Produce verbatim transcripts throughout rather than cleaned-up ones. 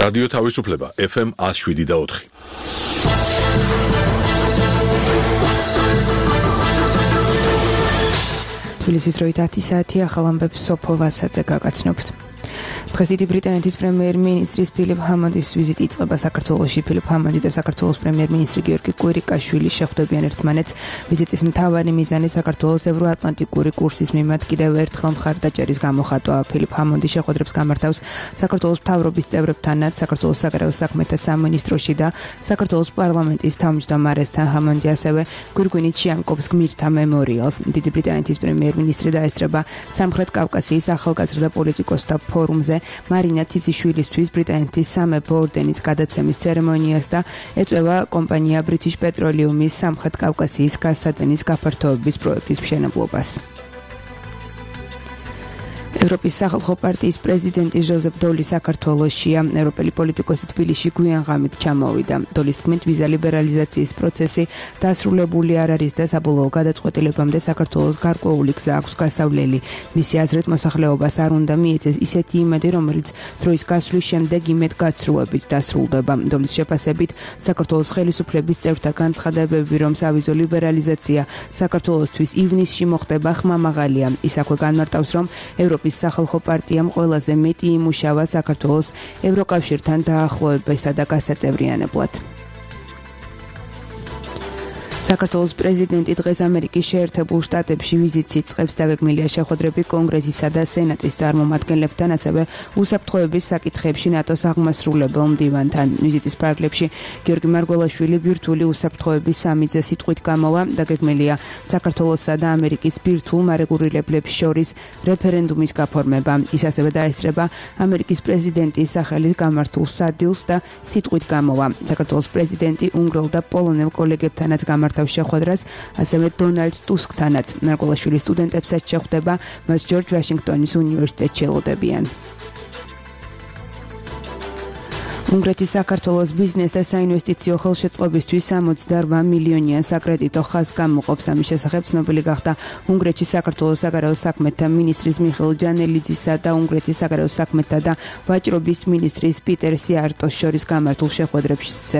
რადიო თავისუფლება ეფ ემ one oh seven და four. თბილისის დროით ათი საათი ახალ ამბებს სოფო ვასაძე გაგაცნობთ. დღეს დიდი ბრიტანეთის პრემიერ-მინისტრის ფილიპ ჰამონდის ვიზიტი იწყება საქართველოში. ფილიპ ჰამონდი და საქართველოს პრემიერ-მინისტრი გიორგი კვირიკაშვილი შეხვდებიან ერთმანეთს. ვიზიტის მთავარი მიზანი საქართველოს ევროატლანტიკური კურსის მიმართ კიდევ ერთხელ მხარდაჭერის გამოხატვა. ფილიპ ჰამონდი შეხვედრებს გამართავს საქართველოს მთავრობის წევრებთანაც, საქართველოს საგარეო საქმეთა სამინისტროში და საქართველოს პარლამენტის თავმჯდომარესთან. ჰამონდი ასევე გვირგვინით შეამკობს გმირთა მემორიალს. დიდი ბრიტანეთის პრემიერ-მინისტრი დაესწრება სამხრეთ კავკასიის ახალგაზრდა პოლიტიკოსთა ფორუმზე მარინა ციციშვილისთვის ბრიტანეთის სამეფო ორდენის გადაცემის ცერემონიას და ეწევა კომპანია British Petroleum-ის სამხრეთ კავკასიის გაზსადენის გაფართოების პროექტის მშენებლობას. ევროპის სახალხო პარტიის პრეზიდენტი ჟოზეფ დოლი საქართველოშია. ევროპელი პოლიტიკოსი თბილისში გვიან ღამით ჩამოვიდა. დოლის თქმით, ვიზა ლიბერალიზაციის პროცესი დასრულებული არ არის და საბოლოო გადაწყვეტილებამდე საქართველოს გარკვეული გზა აქვს გასავლელი. მისი აზრით, მოსახლეობას არ უნდა მიეცეს ისეთი იმედი, რომელიც დროის გასვლის შემდეგ იმედ გაცრუებით დასრულდება. დოლის შეფასებით, საქართველოს ხელისუფლების წევრთა განცხადებები, რომ სავიზო ლიბერალიზაცია საქართველოსთვის ივნისში მოხდება, ხმამაღალია. ის აქვე განმარტავს, რომ ევროპის სახალხო პარტიამ ყველაზე მეტი იმუშავა საქართველოს ევროკავშირთან დაახლოებისა და გასაწევრიანებლად. საქართველოს პრეზიდენტი დღეს ამერიკის შეერთებულ შტატებში ვიზიტს იწყებს. დაგეგმილია შეხვედრები კონგრესისა და სენატის წარმომადგენლებთან, ასევე უსაფრთხოების საკითხებში ნატოს აღმასრულებელ მდივანთან. ვიზიტის ფარგლებში გიორგი მარგველაშვილი ბირთვული უსაფრთხოების სამი-ძე სიტყვით გამოვა. დაგეგმილია საქართველოსა და ამერიკის ბირთვულ მარეგულირებლებს შორის რეფერენდუმის გაფორმება. ის ასევე დაესწრება ამერიკის პრეზიდენტის სახელით გამართულ სადილს და სიტყვით გამოვა. საქართველოს პრეზიდენტი უნგრელ და პოლონელ კოლეგებთანაც გამართა შეხვედრას, ასევე დონალდ ტუსკთანაც. მარგველაშვილი სტუდენტებსაც შეხვდება, მას ჯორჯ ვაშინგტონის უნივერსიტეტში ელოდებიან. უნგრეთის საქართველოს ბიზნეს და საინვესტიციო ხელშეწყობისთვის სამოცდაორ მილიონიან საკრედიტო ხაზს გამოყოფს. ამის შესახებ ცნობილი გახდა უნგრეთში საქართველოს საგარეო საქმეთა მინისტრის მიხეილ ჯანელიძისა და უნგრეთის საგარეო საქმეთა და ვაჭრობის მინისტრის პიტერ სიარტოს შორის გამართულ შეხვედრებზე.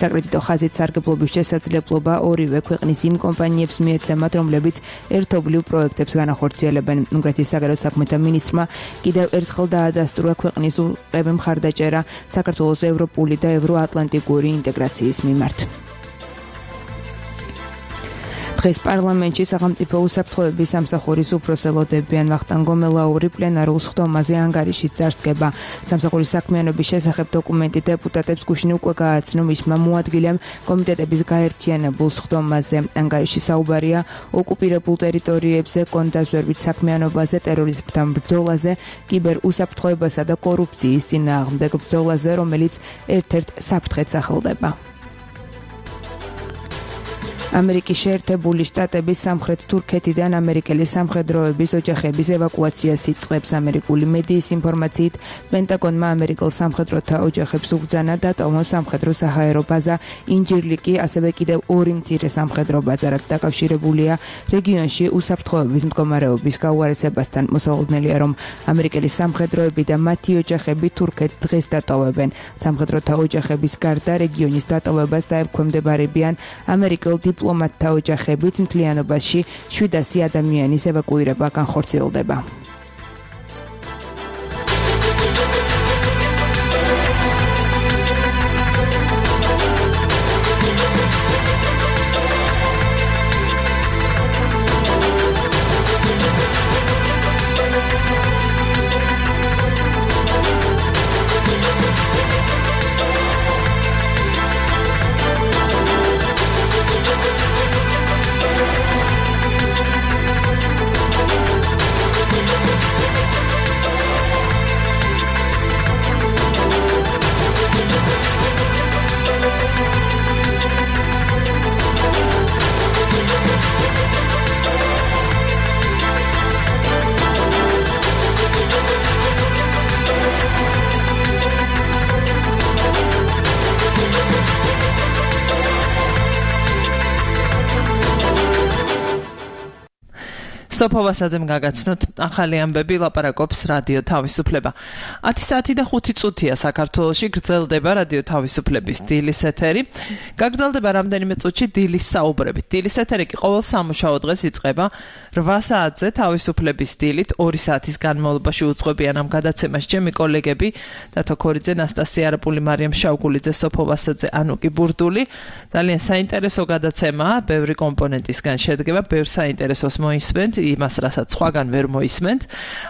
საკრედიტო ხაზით სარგებლობის შესაძლებლობა ორივე ქვეყნის იმ კომპანიებს მიეცემათ, რომლებიც ერთობლივ პროექტებს განახორციელებენ. უნგრეთის საგარეო საქმეთა მინისტრმა კიდევ ერთხელ დაადასტურა ქვეყნის უყევი მხარდაჭერა საქართველოს ევროპული და ევროატლანტიკური ინტეგრაციის მიმართ. დღეს პარლამენტში სახელმწიფო უსაფრთხოების სამსახურის უფროს ელოდებიან. ვახტანგ გომელაური პლენარულ სხდომაზე ანგარიშით წარსდგება. სამსახურის საქმიანობის შესახებ დოკუმენტი დეპუტატებს გუშინ უკვე გააცნო. მისმა მოადგილემ კომიტეტების გაერთიანებულ სხდომაზე. ანგარიში საუბარია ოკუპირებულ ტერიტორიებზე, კონდაზვერვით საქმიანობაზე, ტერორიზმთან ბრძოლაზე, კიბერ უსაფრთხოებასა და კორუფციის წინააღმდეგ ბრძოლაზე, რომელიც ერთ-ერთ საფრთხეს სახელდება. ამერიკის შეერთებული შტატების სამხრეთ თურქეთიდან ამერიკელი სამხედროების ოჯახების ევაკუაციას იწყებს. ამერიკული მედიის ინფორმაციით, პენტაგონმა ამერიკელ სამხედროთა ოჯახებს უბრძანა დატოვონ სამხედრო საჰაერო ბაზა ინჯირლიკი, ასევე კიდევ ორი მცირე სამხედრო ბაზა, რაც დაკავშირებულია რეგიონში უსაფრთხოების მდგომარეობის გაუარესებასთან. მოსალოდნელია, რომ ამერიკელი სამხედროები და მათი ოჯახები თურქეთს დღეს დატოვებენ. სამხედროთა ოჯახების გარდა რეგიონის დატოვებას დაემქვემდებარებიან ამერიკელ დიპლომატთა ოჯახებით. მთლიანობაში შვიდასი ადამიანის ევაკუირება განხორციელდება. სოფო ვასაძემ გაგაცნოთ ახალი ამბები ლაპარაკობს რადიო თავისუფლება. ათი საათი და ხუთი წუთია საქართველოში გრძელდება რადიო თავისუფლების დილის ეთერი. გაგრძელდება რამდენიმე წუთში დილის საუბრებით. დილის ეთერი კი ყოველ სამუშაო დღეს იწყება რვა საათზე თავისუფლების დილით ორი საათის განმავლობაში უძღვებიან ამ გადაცემას ჩემი კოლეგები დათო ქორიძე, ნასტასია არაპული, მარიამ შავგულიძე, სოფო ვასაძე, ანუკი ბურდული. ძალიან საინტერესო გადაცემაა, ბევრი კომპონენტისგან შედგება, ბევრ საინტერესოს მოისმენთ, იმას რასაც სხვაგან ვერ მოისმენთ.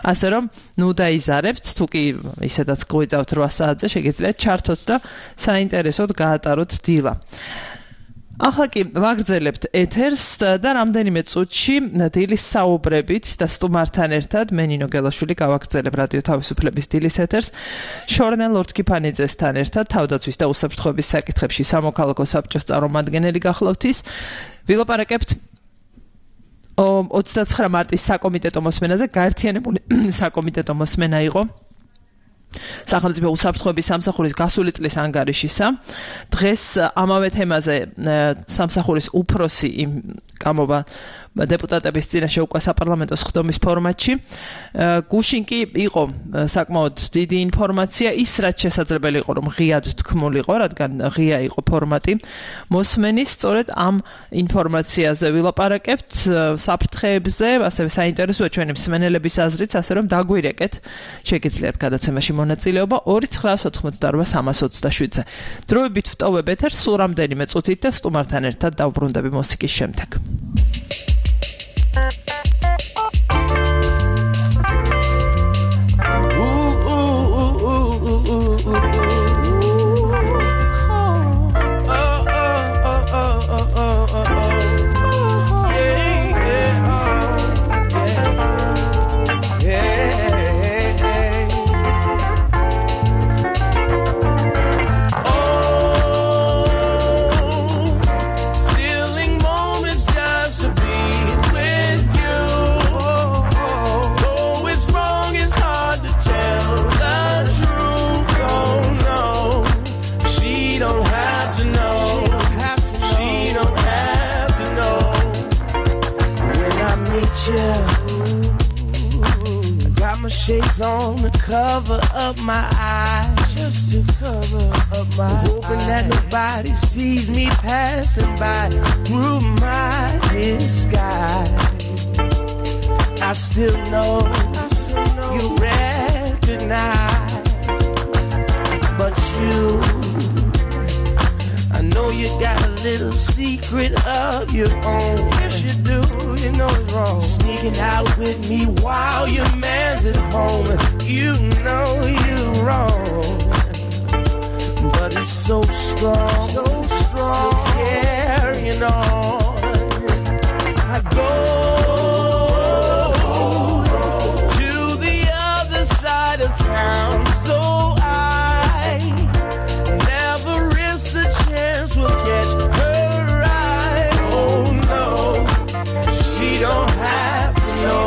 ასე რომ, ნუ დაიზარებთ, თუ კი ისედაც გვეძავთ რვა საათზე, შეგიძლიათ ჩართოთ და საინტერესოდ გაატაროთ დილა. ახლა კი ვაგრძელებთ ეთერს და რამდენიმე წუთში დილის საუბრებით და სტუმართან ერთად მე ნინო გელაშვილი გავაგრძელებ რადიო თავისუფლების დილის ეთერს შორენა ლორთქიფანიძესთან ერთად თავდაცვის და უსაფრთხოების საკითხებში სამოქალაქო საბჭოს წარმომადგენელი გახლავთ ის ვილაპარაკებთ ოცდაცხრა მარტის საკომიტეტო მოსმენაზე გაერთიანებული საკომიტეტო მოსმენა იყო სახელმწიფო უსაფრთხოების სამსახურის გასული წლის ანგარიშისა. დღეს ამავე თემაზე სამსახურის უფროსი გამოვა დეპუტატების წინაშე უკვე საპარლამენტო სხდომის ფორმატში. გუშინ კი იყო საკმაოდ დიდი ინფორმაცია, ის რაც შესაძლებელი იყო, რომ ღიად თქმულიყო, რადგან ღია იყო ფორმატი. მოსმენის სწორედ ამ ინფორმაციაზე ვილაპარაკებთ, საფრთხეებზე, ასევე საინტერესოა ჩვენი მსმენელების აზრიც, ასე რომ დაგვირეკეთ, შეგიძლიათ გადაცემაში მონაწილეობა ორი ცხრაას ოთხმოცდარვა სამას ოცდაშვიდზე. დროებით ვტოვებ ეთერს სულ რამდენიმე წუთით და სტუმართან ერთად დავბრუნდები მუსიკის შემდეგ. Shades on to cover up my eyes, just to cover up my eyes. Hoping that nobody sees me passing by through my disguise. I still know, I still know you recognize, but you, I know you got a little secret of your own. Yes, you do. You know it's wrong. Sneaking out with me while your man's at home. You know you're wrong, but it's so strong, so strong. Still carrying on. I go to the other side of town, so I never risk the chance we'll catch her eye. Oh no. She don't have to know.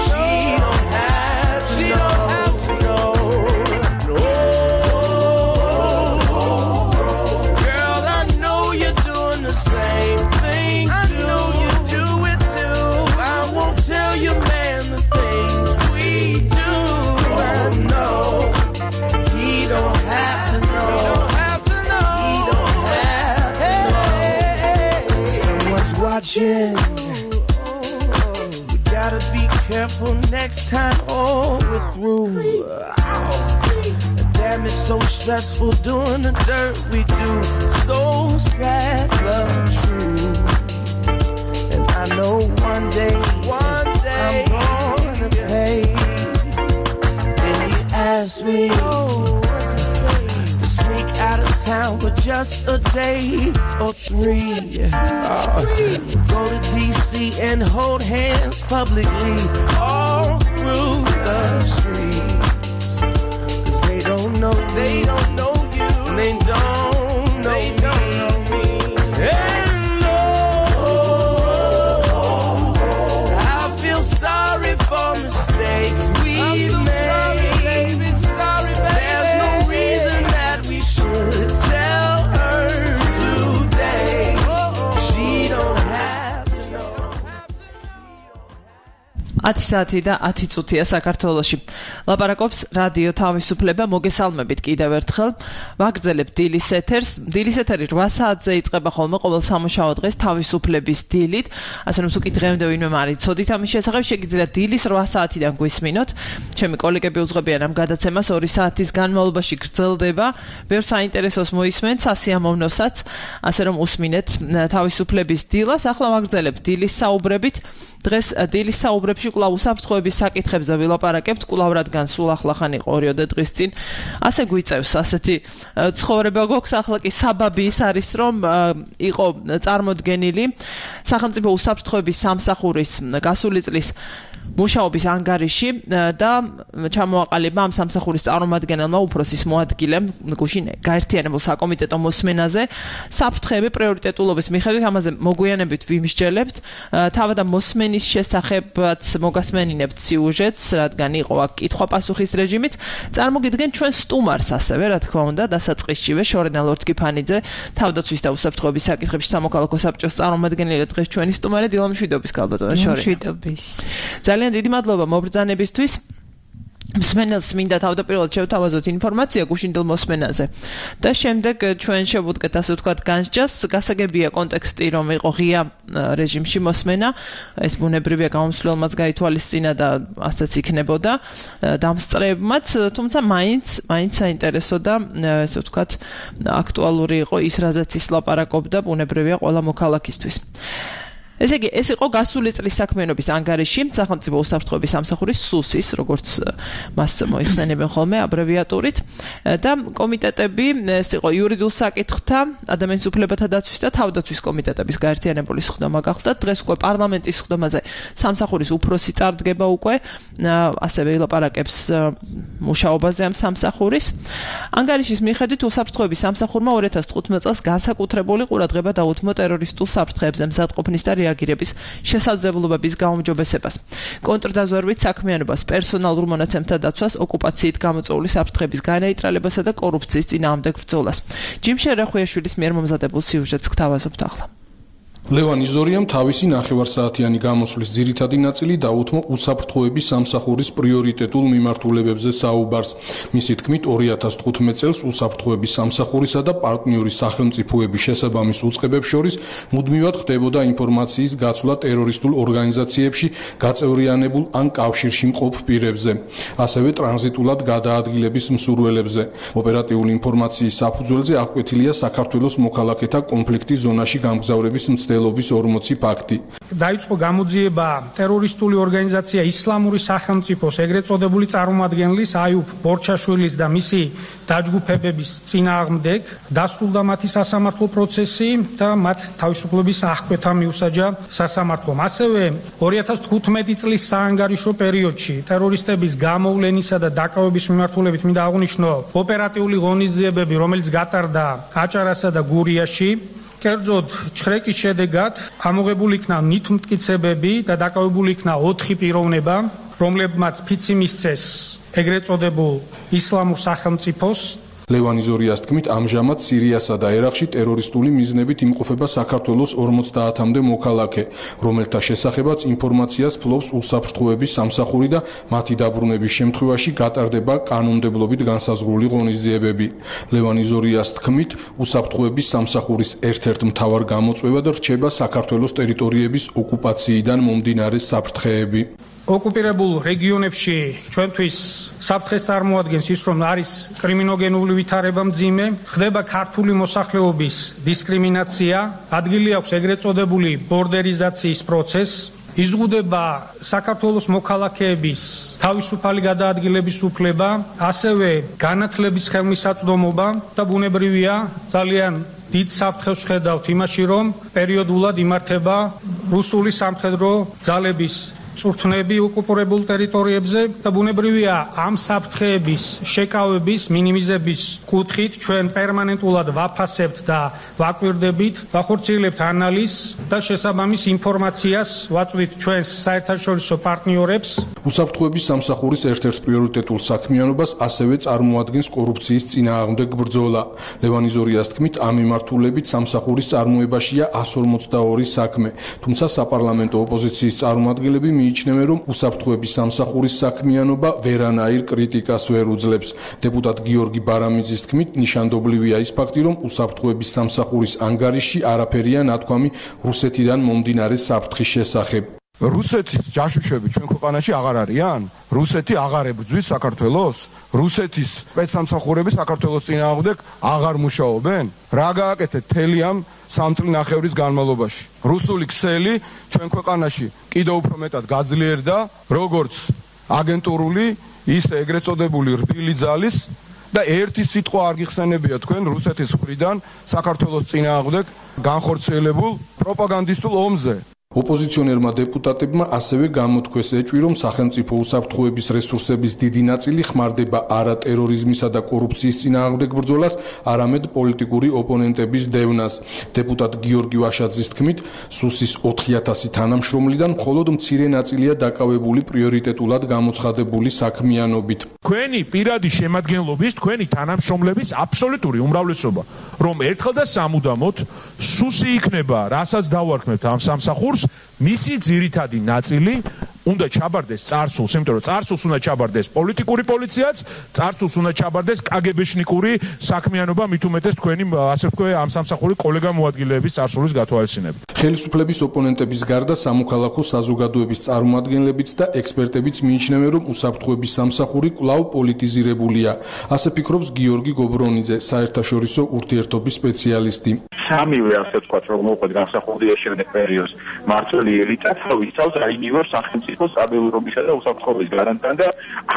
She don't have to know. No. Girl, I know you're doing the same thing. I know you do it too. I won't tell you, man, the things we do. I know he don't have to know. He don't have to know. Someone's watching. Gotta be careful next time, oh, we're through. Oh, damn, it's so stressful doing the dirt we do. So sad, but true. And I know one day, one day I'm gonna pay. Then you ask me, oh, what'd you say? To sneak out of town for just a day or three. Oh, go to D C and hold hands publicly all through the streets. Cause they don't know, they don't know you, they don't know they me. Don't know me. And no, I feel sorry for mistakes we made. Sorry, baby, sorry, baby. There's no reason that we should tell her today. She don't have to know. ათი საათი და ათი წუთია საქართველოში. ლაპარაკობს რადიო თავისუფლება, მოგესალმებით კიდევ ერთხელ. ვაგრძელებთ დილის ეთერს. დილის ეთერი რვა საათზე იწყება ხოლმე ყოველ სამუშაო დღეს თავისუფლების დილით. ასე რომ თუ კი დღემდე ვინმე მარიცოდით ამის შესახებ, შეგიძლიათ დილის რვა საათიდან გვისმინოთ. ჩემი კოლეგები უძღვებიან ამ გადაცემას ორი საათის განმავლობაში გრძელდება. ბევრ საინტერესოს მოისმენთ, სასიამოვნოსაც, ასე რომ უსმინეთ თავისუფლების დილას. ახლა ვაგრძელებთ დილის საუბრებით. დღეს დილის საუბრებში კვლავ უსაფრთხოების საკითხებზე ვილაპარაკებთ, კვლავ რადგან სულ ახლახან იყო ორიოდე დღის წინ. ასე გვიწევს ასეთი ცხოვრება გვაქვს, ახლა კი საბაბი ის არის, რომ იყო წარმოდგენილი სახელმწიფო უსაფრთხოების სამსახურის გასული წლის მუშაობის ანგარიში და ჩამოაყალიბა ამ სამსახურის წარმომადგენელმა უფროსის მოადგილემ გუშინ გაერთიანებულ საკომიტეტო მოსმენაზე საფრთხეები პრიორიტეტულობის მიხედვით ამაზე მოგვიანებით ვიმსჯელებთ. თავად ამ მოსმენის შესახებაც მოგასმენინებთ სიუჟეტს, რადგან იყო აქ კითხვა-პასუხის რეჟიმიც. წარმოგიდგენთ ჩვენ სტუმარს ასევე, რა თქმა უნდა, დასაწყისშივე შორენა ლორდ-კიფანიძე, თავდაცვის და უსაფრთხოების საკითხებში სამოქალაქო საბჭოს წარმომადგენელი დღეს ჩვენი სტუმარი. დილა მშვიდობის ქალბატონო შორენა. მშვიდობის. ძალიან დიდი მადლობა მობრძანებისთვის. მსმენელს მინდა თავდაპირველად შევთავაზოთ ინფორმაცია გუშინდელ მოსმენაზე და შემდეგ ჩვენ შევუდგეთ ასე ვთქვათ განსჯას. გასაგებია კონტექსტი, რომ იყო ღია რეჟიმში მოსმენა, ეს ბუნებრივია გამომსვლელმაც გაითვალისწინა და ასეც იქნებოდა დამსწრეებმაც, თუმცა მაინც მაინც საინტერესო და ასე ვთქვათ აქტუალური იყო ის, რაზეც ის ლაპარაკობდა, ბუნებრივია ყველა მოქალაქისთვის. ესე იგი, ეს იყო გასული წლის საქმიანობის ანგარიში სახელმწიფო უსაფრთხოების სამსახურის სუსის, როგორც მას მოიხსენებენ ხოლმე აბრევიატურით, და კომიტეტები, ეს იყო იურიდიულ საკითხთა, ადამიანის უფლებათა დაცვის და თავდაცვის კომიტეტების გაერთიანებული სხდომა გახსდა. დღეს უკვე პარლამენტის სხდომაზე სამსახურის უფროსი წარდგება უკვე, ასევე ილაპარაკებს მუშაობაზე ამ სამსახურის. ანგარიშის მიხედვით უსაფრთხოების სამსახურმა ორი ათას თხუთმეტ წელს განსაკუთრებული ყურადღება დაუთმო ტერორისტულ საფრთხეებზე მზადყოფნის და რეაგირების შესაძლებლობების გაუმჯობესებას. კონტრდაზვერვით საქმიანობას, პერსონალურ მონაცემთა დაცვას, ოკუპაციით გამოწვეული საფრთხების განეიტრალებასა და კორუფციის წინააღმდეგ ბრძოლას. ჯიმშე რახვიაშვილის მიერ მომზადებულ სიუჟეტს გთავაზობთ ახლა. ლევან იზორიამ თავისი ნახევარსაათიანი გამოსვლის ძირითადი ნაწილი დაუთმო უსაფრთხოების სამსახურის პრიორიტეტულ მიმართულებებზე საუბარს. მისი თქმით, ორი ათას თხუთმეტ წელს უსაფრთხოების სამსახურისა და პარტნიორი სახელმწიფოების შესაბამის უწყებებს შორის მუდმივად ხდებოდა ინფორმაციის გაცვლა ტერორისტულ ორგანიზაციებში გაწევრიანებულ ან კავშირში მყოფ პირებზე, ასევე ტრანზიტულად გადაადგილების მსურველებზე. ოპერატიული ინფორმაციის საფუძველზე აღკვეთილია საქართველოს მოქალაქეთა კონფლიქტის ზონაში გამგზავრების მცდელობის ორმოცი ფაქტი. დაიწყო გამოძიება ტერორისტული ორგანიზაცია ისლამური სახელმწიფოს ეგრეთ წოდებული წარმომადგენლის აიუბ ბორჩაშვილის და მისი დაჯგუფებების წინააღმდეგ, დასრულდა მათი სასამართლო პროცესი და მათ თავისუფლების აღკვეთა მიუსაჯა სასამართლომ. ასევე ორი ათას თხუთმეტი წლის საანგარიშო პერიოდში ტერორისტების გამოვლენისა და დაკავების მიმართულებით მინდა აღვნიშნო ოპერატიული ღონისძიებები, რომელიც გატარდა აჭარასა და გურიაში. კერძოდ ჩხრეკის შედეგად ამოღებული იქნა ნივთმტკიცებები და დაკავებული იქნა ოთხი პიროვნება, რომლებმაც ფიცი მისცეს ეგრეთ წოდებულ ისლამურ სახელმწიფოს. ლევან იზორიას თქმით, ამჟამად სირიასა და ერაყში ტერორისტული მიზნებით იმყოფება საქართველოს ორმოცდაათამდე მოქალაქე, რომელთა შესახებაც ინფორმაციას ფლობს უსაფრთხოების სამსახური და მათი დაბრუნების შემთხვევაში გატარდება კანონმდებლობით განსაზღვრული ღონისძიებები. ლევან იზორიას თქმით, უსაფრთხოების სამსახურის ერთ-ერთ მთავარ გამოწვევად რჩება საქართველოს ტერიტორიების ოკუპაციიდან მომდინარე საფრთხეები. ოკუპირებულ რეგიონებში ჩვენთვის საფრთხეს წარმოადგენს ის, რომ არის კრიმინოგენული ვითარება მძიმე, ხდება ქართული მოსახლეობის დისკრიმინაცია, ადგილი აქვს ეგრეთ წოდებული ბორდერიზაციის პროცესი, იზღუდება საქართველოს მოქალაქეების თავისუფალი გადაადგილების უფლება, ასევე განათლების ხელმისაწვდომობა და ბუნებრივია ძალიან დიდ საფრთხეს ხედავთ იმაში, რომ პერიოდულად იმართება რუსული სამხედრო ძალების წვრთნები ოკუპირებულ ტერიტორიებზე და ბუნებრივია ამ საფრთხეების შეკავების მინიმიზების კუთხით ჩვენ პერმანენტულად ვაფასებთ და ვაკვირდებით, ვახორციელებთ ანალიზს და შესაბამის ინფორმაციას ვაწვდით ჩვენს საერთაშორისო პარტნიორებს. უსაფრთხოების სამსახურის ერთ-ერთ პრიორიტეტულ საქმიანობას ასევე წარმოადგენს კორუფციის წინააღმდეგ ბრძოლა. ლევან იზორიას თქმით, ამ მიმართულებით სამსახურის წარმოებაშია εκατს ორმოცდაორი საქმე, თუმცა საპარლამენტო ოპოზიციის წარმომადგენლები მიიჩნევენ, რომ უსაფრთხოების სამსახურის საქმიანობა ვერანაირ კრიტიკას ვერ უძლებს. დეპუტატ გიორგი ბარამიძის თქმით, ნიშანდობლივია ის ფაქტი, რომ უსაფრთხოების სამსახურის ანგარიშში არაფერია ნათქვამი რუსეთიდან მომდინარე საფრთხის შესახებ. რუსეთის ჯაშუშები ჩვენ ქვეყანაში აღარ არიან? რუსეთი აღარ ებრძვის საქართველოს? რუსეთის სპეცსამსახურები საქართველოს წინააღმდეგ აღარ მუშაობენ? რა გააკეთეთ მთელი ამ სამწლინახევრის განმავლობაში? რუსული ქსელი ჩვენ ქვეყანაში კიდევ უფრო მეტად გაძლიერდა, როგორც აგენტურული, ისე ეგრეთ წოდებული რბილი ძალის და ერთი სიტყვა არ გიხსენებია თქვენ რუსეთის მხრიდან საქართველოს წინააღმდეგ განხორციელებულ პროპაგანდისტულ ომზე. ოპოზიციონერმა დეპუტატებმა ასევე გამოთქვეს ეჭვი, რომ სახელმწიფო უსაფრთხოების რესურსების დიდი ნაწილი ხმარდება არა ტერორიზმისა და კორუფციის წინააღმდეგ ბრძოლას, არამედ პოლიტიკური ოპონენტების დევნას. დეპუტატ გიორგი ვაშაძის თქმით, სუსის ოთხი ათასი თანამშრომლიდან მხოლოდ მცირე ნაწილია დაკავებული პრიორიტეტულად გამოცხადებული საქმიანობით. თქვენი პირადი შემადგენლობის, თქვენი თანამშრომლების აბსოლუტური უმრავლესობა, რომ ერთხელ და სამუდამოდ სუსი იქნება, რასაც დავარქმევთ ამ სამსახურს, მისი ძირითადი ნაწილი უნდა ჩაბარდეს წარსულს, იმიტომ რომ წარსულს უნდა ჩაბარდეს პოლიტიკური პოლიციაც, წარსულს უნდა ჩაბარდეს კაგებეშნიკური საქმიანობა, მით უმეტეს თქვენი ასე ვთქვი ამ სამსახური კოლეგა მოადგილეების წარსულის გათვალისწინებით. ხელისუფლების ოპონენტების გარდა სამოქალაქო საზოგადოების წარმომადგენლებიც და ექსპერტებიც მიიჩნევენ, რომ უსაფრთხოების სამსახური კვლავ პოლიტიზირებულია. ასე ფიქრობს გიორგი გობრონიძე, საერთაშორისო ურთიერთობის სპეციალისტი. სამივე ასე ვთქვათ, რომ მოყვეთ განსახურდია შემდეგ პერიოდს მართველი ელიტა თავისთავად აინივარ სახელმწიფოს სტაბილურობისა და უსაფრთხოების გარანტთან და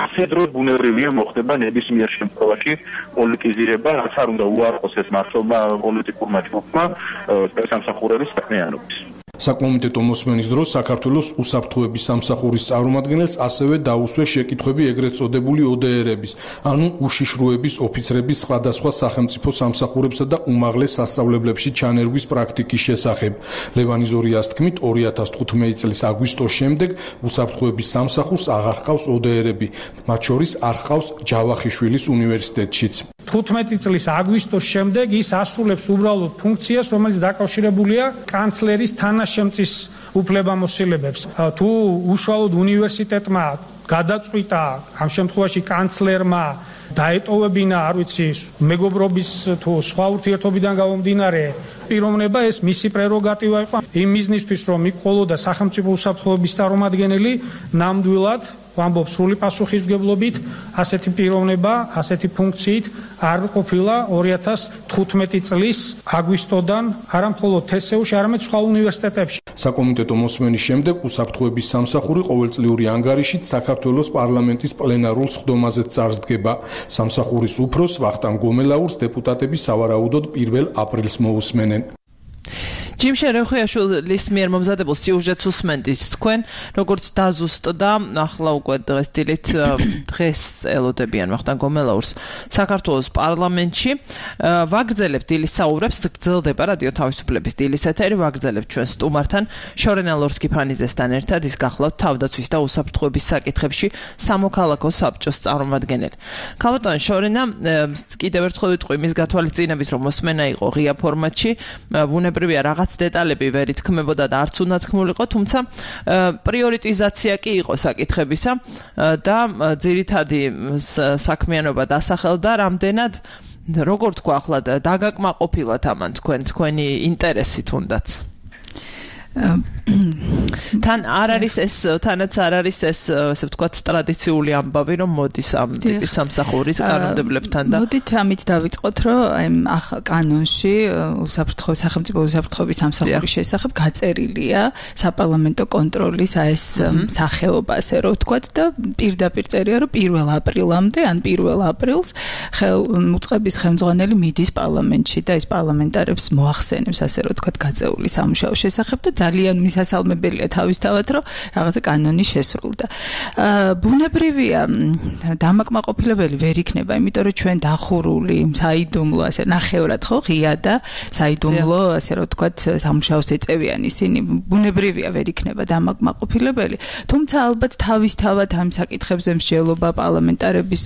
ასე დროს ბუნებრივია მოხდება ნებისმიერ შემთხვევაში პოლიტიზირება, რაც არ უნდა უარყოს ეს მართლობა პოლიტიკურმა ჯგუფმა სპეცსამსახურების საქმიანობის. საკომიტეტო მოსმენის დროს საქართველოს უსაფრთხოების სამსახურის წარმომადგენელს ასევე დაუსვეს შეკითხვები ეგრეთ წოდებული O D R-ების, ანუ უშიშროების ოფიცრების სხვადასხვა სახელმწიფო სამსახურებსა და უმაღლეს სასწავლებლებში ჩანერგვის პრაქტიკის შესახებ. ლევანი ზორიას თქმით, ორი ათას თხუთმეტი წლის აგვისტოს შემდეგ უსაფრთხოების სამსახურს აღარ ჰყავს O D R-ები, მათ შორის არ ჰყავს ჯავახიშვილის უნივერსიტეტშიც. თხუთმეტი წლის აგვისტოს შემდეგ ის ასრულებს უბრალოდ ფუნქციას, რომელიც დაკავშირებულია კანცლერის თანაშემწის უფლებამოსილებებს. თუ უშუალოდ უნივერსიტეტმა გადაწყვიტა ამ შემთხვევაში კანცლერმა დაეტოვებინა, არ ვიცი, მეგობრობის თუ სხვა ურთიერთობიდან გამომდინარე პიროვნება, ეს მისი პრეროგატივა იყო იმ მიზნისთვის, რომ იყოლოდა სახელმწიფო უსაფრთხოების წარმომადგენელი ნამდვილად ვამბობ სრული პასუხისმგებლობით, ასეთი პიროვნება, ასეთი ფუნქციით არ ყოფილა ორი ათას თხუთმეტი წლის აგვისტოდან არა მხოლოდ თე ეს იუ-ში, არამედ სხვა უნივერსიტეტებში. საკომიტეტო მოსმენის შემდეგ უსაფრთხოების სამსახური ყოველწლიური ანგარიშით საქართველოს პარლამენტის პლენარულ სხდომაზე წარსდგება. სამსახურის უფროს ვახტანგ გომელაურს დეპუტატები სავარაუდოდ პირველ აპრილს მოусმენენ. ჯიმ შერეხიაშვილის მიერ მომზადებულ სიუჟეტს უსმენთ თქვენ, როგორც დაზუსტდა, ახლა უკვე დღეს დილით დღეს ელოდებიან ვახტანგ გომელაურს საქართველოს პარლამენტში. ვაგრძელებთ დილის საუბრებს, გრძელდება რადიო თავისუფლების დილის ეთერი, ვაგრძელებთ ჩვენ სტუმართან, შორენა ლორსკი-ფანიძესთან ერთად, ის გახლავთ თავდაცვის და უსაფრთხოების საკითხებში სამოქალაქო საბჭოს წარმომადგენელი. ქალბატონი შორენა, კიდევ ერთხელ ვიტყვი მის გათვალისწინებით, რომ მოსმენა იყო ღია ფორმატში, ბუნებრივია რაღაც დეტალები ვერ ითქმებოდა და არც უნდა თქმულიყო, თუმცა პრიორიტიზაცია კი იყო საკითხებისა და ძირითადი საქმიანობა დასახელდა რამდენად, როგორ თქვა ახლა დაგაკმაყოფილოთ ამან თქვენ თქვენი ინტერესი თუნდაც. თან არ არის ეს თანაც არ არის ეს ასე ვთქვათ ტრადიციული ამბავი, რომ მოდის ამ ტიპის სამსახურის კანონმდებლებთან და მოდით ამით დავიწყოთ, რომ აი კანონში უსაფრთხოების სახელმწიფო უსაფრთხოების სამსახურის შესახებ გაწერილია საპარლამენტო კონტროლის აი ეს სახეობა, ასე რომ ვთქვათ და პირდაპირ წერია, რომ პირველ აპრილამდე ან პირველ აპრილს უწყების ხელმძღვანელი მიდის პარლამენტში და ის პარლამენტარებს მოახსენებს, ასე რომ ვთქვათ, გაწეული სამუშაო შესახებ და ძალიან მისასალმებელია თავისთავად, რომ რაღაცა კანონი შესრულდა. ბუნებრივია დამაკმაყოფილებელი ვერ იქნება, იმიტომ რომ ჩვენ დახურული, საიდუმლო, ასე ნახევრად ხო ღია და საიდუმლო, ასე რომ ვთქვათ, სამუშაოს ეწევიან ისინი. ბუნებრივია ვერ იქნება დამაკმაყოფილებელი, თუმცა ალბათ თავისთავად ამ საკითხებზე მსჯელობა პარლამენტარების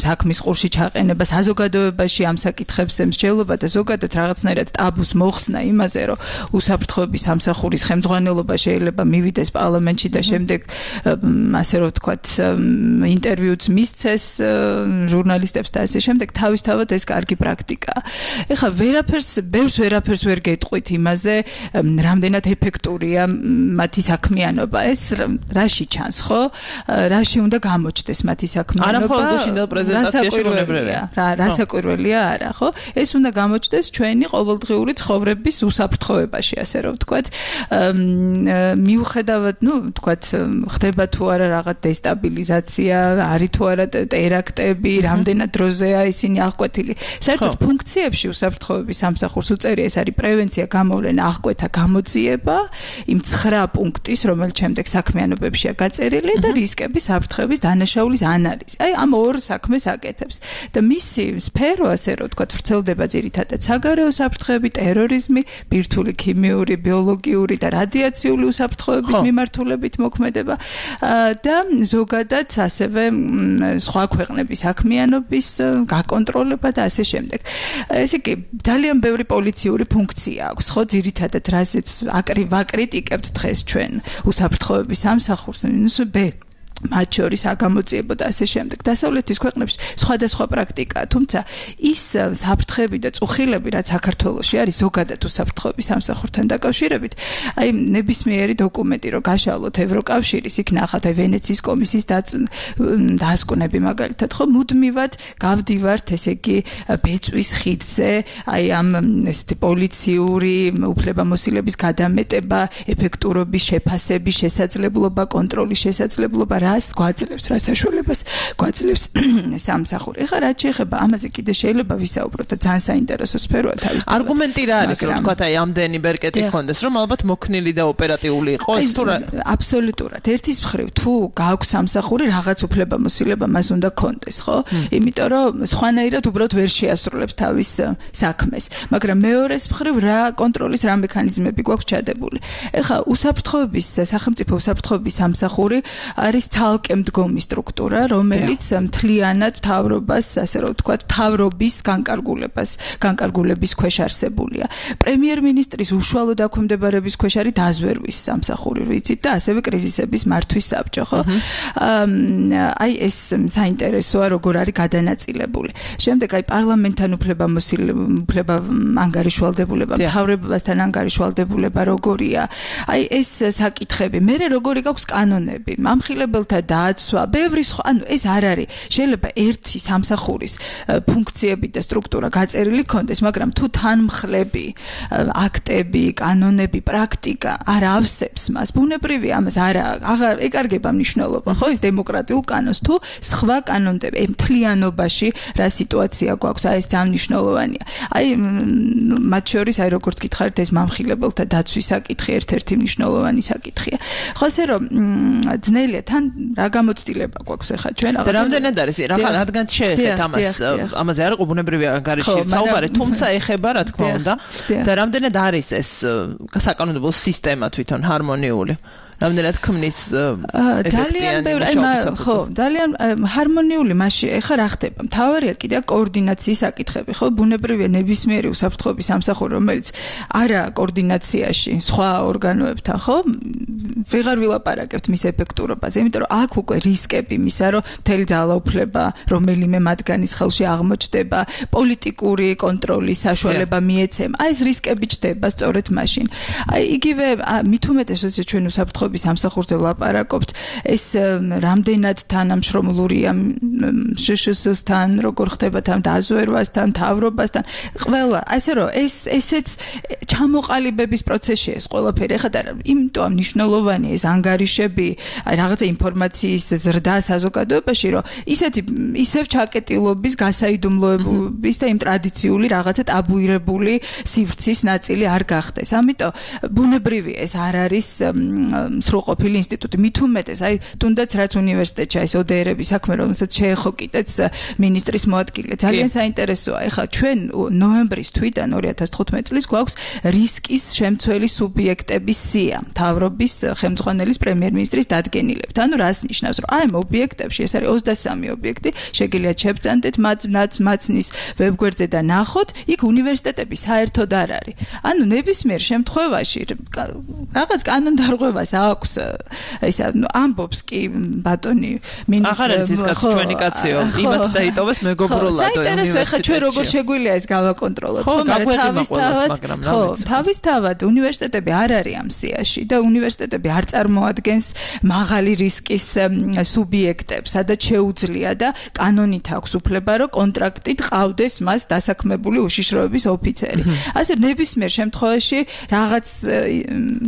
საქმის ყურში ჩაყენება, საზოგადოებაში ამ საკითხებზე მსჯელობა და ზოგადად რაღაცნაირად ტაბუს მოხსნა იმაზე, რომ უსაფრთხოების სამსახურის ხელმძღვანელობა შეიძლება მივიდეს პარლამენტში და შემდეგ ასე რომ ვთქვათ ინტერვიუც მისცეს ჟურნალისტებს და ასე შემდეგ თავისთავად ეს კარგი პრაქტიკაა. ეხლა ვერაფერს ბევრს ვერაფერს ვერ გეტყვით იმაზე რამდენად ეფექტურია მათი საქმიანობა. ეს რაში ჩანს ხო? რაში უნდა გამოჩნდეს მათი საქმიანობა? არა მხოლოდ გუშინდელ პრეზენტაციაში უნებრივია. რა რასაკვირველია არა ხო? ეს უნდა გამოჩნდეს ჩვენი ყოველდღიური ცხოვრების უსაფრთხოებაში, ასე რომ ვთქვათ. მიუხედავად, ну, ვთქვათ, ხდება თუ არა რაღაც დესტაბილიზაცია, არის თუ არა ტერაქტები, რამდენად დროზეა ისინი აღკვეთილი. საერთოდ ფუნქციებში უსაფრთხოების სამსახურს უწევია ეს არის პრევენცია, გამოვლენა, აღკვეთა, გამოძიება იმ ცხრა პუნქტის, რომელიც შემდეგ საქმიანობებშია გაწერილი და რისკების საფრთხების დანაშაულის ანალიზი. აი ამ ორ საქმეს აკეთებს. და მისი სფერო, ასე რომ ვთქვათ, ვრცელდება ძირითადად საგარეო საფრთხეები, ტერორიზმი, ბირთვული, ქიმიური, ბიოლოგიური და რადიაციული უსაფრთხოების მიმართულებით მოქმედება და ზოგადად ასევე სხვა ქვეყნების საქმიანობის გაკონტროლება და ასე შემდეგ. ესე იგი, ძალიან ბევრი პოლიციური ფუნქცია აქვს, ხო, ძირითადად რაზეც ვაკრიტიკებთ დღეს ჩვენ უსაფრთხოების სამსახურს, ნუ ბ მათ შორის აგამოძიებო და ასე შემდეგ. დასავლეთის ქვეყნებში სხვადასხვა პრაქტიკაა, თუმცა ის საფრთხეები და წუხილები, რაც საქართველოში არის ზოგადად უსაფრთხოების სამსახურთან დაკავშირებით, აი ნებისმიერი დოკუმენტი, რომ გაშალოთ ევროკავშირის, იქ ნახავთ აი ვენეციის კომისიის დასკვნები მაგალითად, ხო, მუდმივად გავდივართ, ესე იგი, ბეწვის ხიდზე, აი ამ ესეთი პოლიციური უფლებამოსილების გადამეტება, ეფექტურობის შეფასების შესაძლებლობა, კონტროლის შესაძლებლობა რას გვაძლევს, რა საშუალებას გვაძლევს სამსახური. ეხლა რაც შეეხება ამაზე კიდე შეიძლება ვისაუბროთ და ძალიან საინტერესო სფეროა თავისთავად. არგუმენტი რა არის, რომ თქვა აი ამდენი ბერკეტი გქონდეს, რომ ალბათ მოქნილი და ოპერატიული იყოს თუ რა? აბსოლუტურად. ერთის მხრივ თუ გააქვს სამსახური, რაღაც უფლებამოსილება მას უნდა გქონდეს, ხო? იმიტომ რომ სხვანაირად უბრალოდ ვერ შეასრულებს თავის საქმეს. მაგრამ მეორეს მხრივ რა კონტროლის რა მექანიზმები გვაქვს ჩადებული. ეხლა უსაფრთხოების სახელმწიფო უსაფრთხოების სამსახური არის ცალკე მდგომი სტრუქტურა, რომელიც მთლიანად მთავრობას, ასე რომ ვთქვათ, მთავრობის განკარგულებას, განკარგულების ქვეშ არსებულია. პრემიერ-მინისტრის უშუალო დაქვემდებარების ქვეშ არის დაზვერვის სამსახური, ვიცით, და ასევე კრიზისების მართვის საბჭო, ხო? აი ეს საინტერესოა, როგორ არის გადანაწილებული. შემდეგ აი პარლამენტთან უფლებამოსილება, ანგარიშვალდებულება, მთავრობასთან ანგარიშვალდებულება როგორია? აი ეს საკითხები. მერე როგორი გაქვს კანონები? ამხილებელთა დაცვა, ბევრი სხვა, ანუ ეს არ არის. შეიძლება ერთი სამსახურის ფუნქციები და სტრუქტურა გაწერილი ქონდეს, მაგრამ თუ თანმხლები, აქტები, კანონები, პრაქტიკა არ ავსებს მას, ბუნებრივია ამას არ აღარ ეკარგება მნიშვნელობა, ხო, ის დემოკრატიულ კანონს თუ სხვა კანონები, მთლიანობაში რა სიტუაცია გვაქვს, აი ეს ძალიან მნიშვნელოვანია. აი მათ შორის აი როგორც გითხარით, ეს მამხილებელთა დაცვის საკითხი ერთ-ერთი მნიშვნელოვანი საკითხია. ხო, ასე რომ ძნელია თან რა გამოცდილება გვაქვს ახლა ჩვენ და რამდენად არის რა რადგან შეეხეთ ამას ამაზე არ იყო ბუნებრივი ანგარიში საუბარი, თუმცა ეხება რა თქმა უნდა და რამდენად არის ეს საკანონმდებლო სისტემა თვითონ ჰარმონიული, რამდენად ქმნის ძალიან ბევრი, ხო, ძალიან ჰარმონიული მასში ეხლა რა ხდება? მთავარია კიდე კოორდინაციის საკითხები, ხო? ბუნებრივია ნებისმიერი უსაფრთხოების სამსახური, რომელიც არა კოორდინაციაში სხვა ორგანოებთან, ხო? ვეღარ ვილაპარაკებთ მის ეფექტურობაზე, იმიტომ რომ აქ უკვე რისკები მისა, რომ მთელი ძალაუფლება რომელიმე მათგანის ხელში აღმოჩნდება, პოლიტიკური კონტროლის საშუალება მიეცემა. აი ეს რისკები ჩდება სწორედ მაშინ. აი იგივე მით უმეტეს როცა ჩვენ უსაფრთხოების სამსახურზე ვლაპარაკობთ, ეს რამდენად თანამშრომლურია შშს-თან, როგორ ხდება თან დაზვერვასთან, მთავრობასთან, ყველა, ასე რომ ეს ესეც ჩამოყალიბების პროცესია ეს ყველაფერი. ეხლა იმიტომ მნიშვნელოვანია ეს ანგარიშები, აი რაღაცა ინფორმაციის ზრდა საზოგადოებაში, რომ ისეთი ისევ ჩაკეტილობის, გასაიდუმლოების და იმ ტრადიციული რაღაცა ტაბუირებული სივრცის ნაწილი არ გახდეს. ამიტომ ბუნებრივია ეს არ არის სრულყოფილი ინსტიტუტი. მით უმეტეს, აი თუნდაც რაც უნივერსიტეტში აი ო დე ერების საქმე, რომელსაც შეეხო კიდეც მინისტრის მოადგილე. ძალიან საინტერესოა. ეხლა ჩვენ ნოემბრის თვიდან ორი ათას თხუთმეტი წლის გვაქვს რისკის შემცველი სუბიექტების სია, მთავრობის ხელმძღვანელის პრემიერ-მინისტრის დადგენილებით. ანუ რას ნიშნავს, რომ აი ამ ობიექტებში ეს არის ოცდასამი ობიექტი, შეგიძლიათ შევწანდეთ მათ მაცნის ვებგვერდზე და ნახოთ, იქ უნივერსიტეტები საერთოდ არ არის. ანუ ნებისმიერ შემთხვევაში რაღაც კანონდარღვევას აქვს ისა ამბობს კი ბატონი მინისტრი. ახლა ის კაცი ჩვენი კაციო, იმაც დაიტოვეს მეგობრულად. საინტერესო, ეხლა ჩვენ როგორ შეგვიძლია ეს გავაკონტროლოთ, ხო, მაგრამ თავისთავად, ხო, თავისთავად უნივერსიტეტები არ არის ამ სიაში და უნივერსიტეტები არ წარმოადგენს მაღალი რისკის სუბიექტებს, სადაც შეუძლია და კანონით აქვს უფლება, რომ კონტრაქტით ყავდეს მას დასაქმებული უშიშროების ოფიცერი. ასე ნებისმიერ შემთხვევაში რაღაც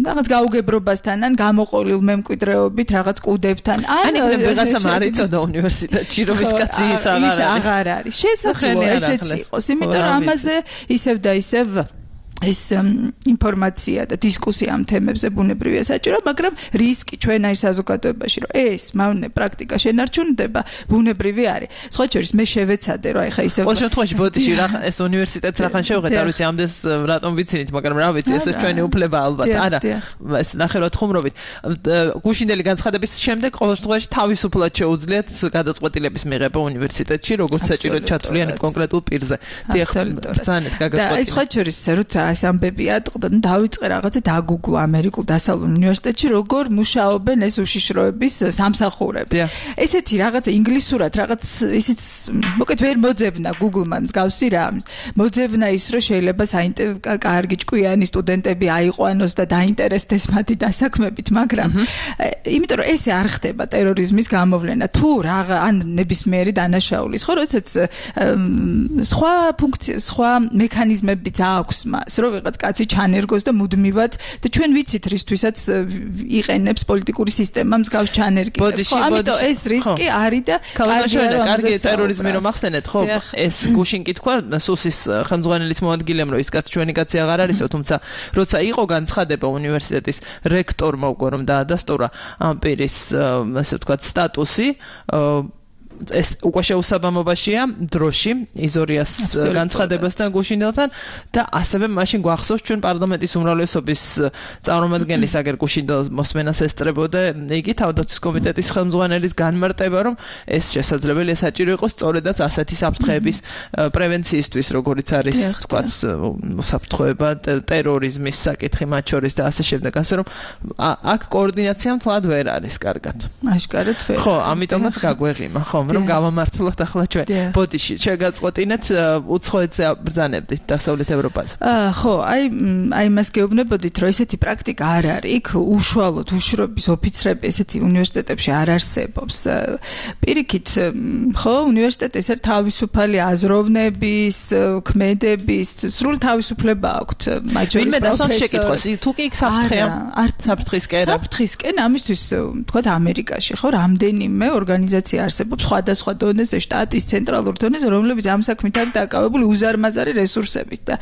რაღაც გაუგებრობასთან ან გამოყოლილ მემკვიდრეობით რაღაც კუდებთან ან ვიღაცამ არ იწოდა უნივერსიტეტში რომ ის კაცი ის აღარ არის. შესაძლოა ესეც იყოს, იმიტომ რომ ამაზე ისევ და ისევ ეს ინფორმაცია და დისკუსია ამ თემებზე ბუნებრივია საჭირო, მაგრამ რისკი ჩვენაირ საზოგადოებაში, რომ ეს მავნე პრაქტიკა შენარჩუნდება, ბუნებრივი არის. სხვა შორის მე შევეცადე, რომ ეხა ისე ყოველ შემთხვევაში ბოდიში რა ეს უნივერსიტეტს რახან შევღეთ, არ ვიცი ამდენს რატომ ვიცინით, მაგრამ რა ვიცი, ეს ჩვენი უფლება ალბათ. არა, ეს ნახევრად ხუმრობით. გუშინდელი განცხადების შემდეგ ყოველ შემთხვევაში თავისუფლად შეუძლიათ გადაწყვეტილების მიღება უნივერსიტეტში, როგორც საჭირო ჩათვლიანი კონკრეტულ პირზე. დიახ, ბრძანეთ გაგაწყვეტილება. და სხვა შორის როცა ეს ამბები ატყდა, ნუ დავიწყე რაღაცა დაგუგლო ამერიკულ დასავლურ უნივერსიტეტში, როგორ მუშაობენ ეს უშიშროების სამსახურები. ესეთი რაღაცა ინგლისურად, რაღაც ისიც მოკეთ ვერ მოძებნა Google-მა მსგავსი რა. მოძებნა ის, რომ შეიძლება კარგი ჭკვიანი სტუდენტები აიყვანოს და დაინტერესდეს მათი დასაქმებით, მაგრამ იმიტომ რომ ესე არ ხდება ტერორიზმის გამოვლენა, თუ რაღა ან ნებისმიერი დანაშაულის, ხო, როდესაც სხვა ფუნქცია, სხვა მექანიზმებიც აქვს მას, რომ ვიღაც კაცი ჩანერგოს და მუდმივად და ჩვენ ვიცით რისთვისაც იყენებს პოლიტიკური სისტემა მსგავს ჩანერგის. ხო, ამიტომ ეს რისკი არის და კარგი ტერორიზმი რომ ახსენეთ, ხო, ეს გუშინ კითხვა სუსის ხელმძღვანელის მოადგილემ, რომ ის კაცი ჩვენი კაცი აღარ არისო, თუმცა როცა იყო განცხადება უნივერსიტეტის რექტორმა უკვე რომ დაადასტურა ამ პირის ასე ვთქვათ სტატუსი, ეს უკვე შეუსაბამობაშია დროში იზორიას განცხადებასთან გუშინდელთან და ასევე მაშინ გვახსოვს ჩვენ პარლამენტის უმრავლესობის წარმომადგენლის აგერ გუშინდელ მოსმენას ესწრებოდა იგი თავდაცვის კომიტეტის ხელმძღვანელის განმარტება, რომ ეს შესაძლებელია საჭირო იყოს სწორედაც ასეთი საფრთხეების პრევენციისთვის, როგორიც არის თქვათ საფრთხეება ტერორიზმის საკითხი მათ შორის და ასე შემდეგ, ასე რომ აქ კოორდინაცია მთლად ვერ არის კარგად. აშკარად ვერ. ხო, ამიტომაც გაგვეღიმა, ხო, რომ გავამართლოთ ახლა ჩვენ ბოდიში შეგაწყვეტინეთ უცხოეთზე ბრძანებდით დასავლეთ ევროპაზე. აა ხო, აი აი მას გეუბნებოდით, რომ ესეთი პრაქტიკა არ არის. იქ უშუალოდ უშრობის ოფიცრები ესეთი უნივერსიტეტებში არ არსებობს. პირიქით, ხო, უნივერსიტეტი ეს არის თავისუფალი აზროვნების, ქმედების, სრულ თავისუფლება აქვთ. ვინმე დასვამ შეკითხვას, თუ კი იქ საფრთხეა, საფრთხისკენ. საფრთხისკენ, ამისთვის თქვათ ამერიკაში, ხო, რამდენიმე ორგანიზაცია არსებობს სხვადასხვა დონეზე, შტატის ცენტრალურ დონეზე, რომლებიც ამ საქმით არის დაკავებული უზარმაზარი რესურსებით და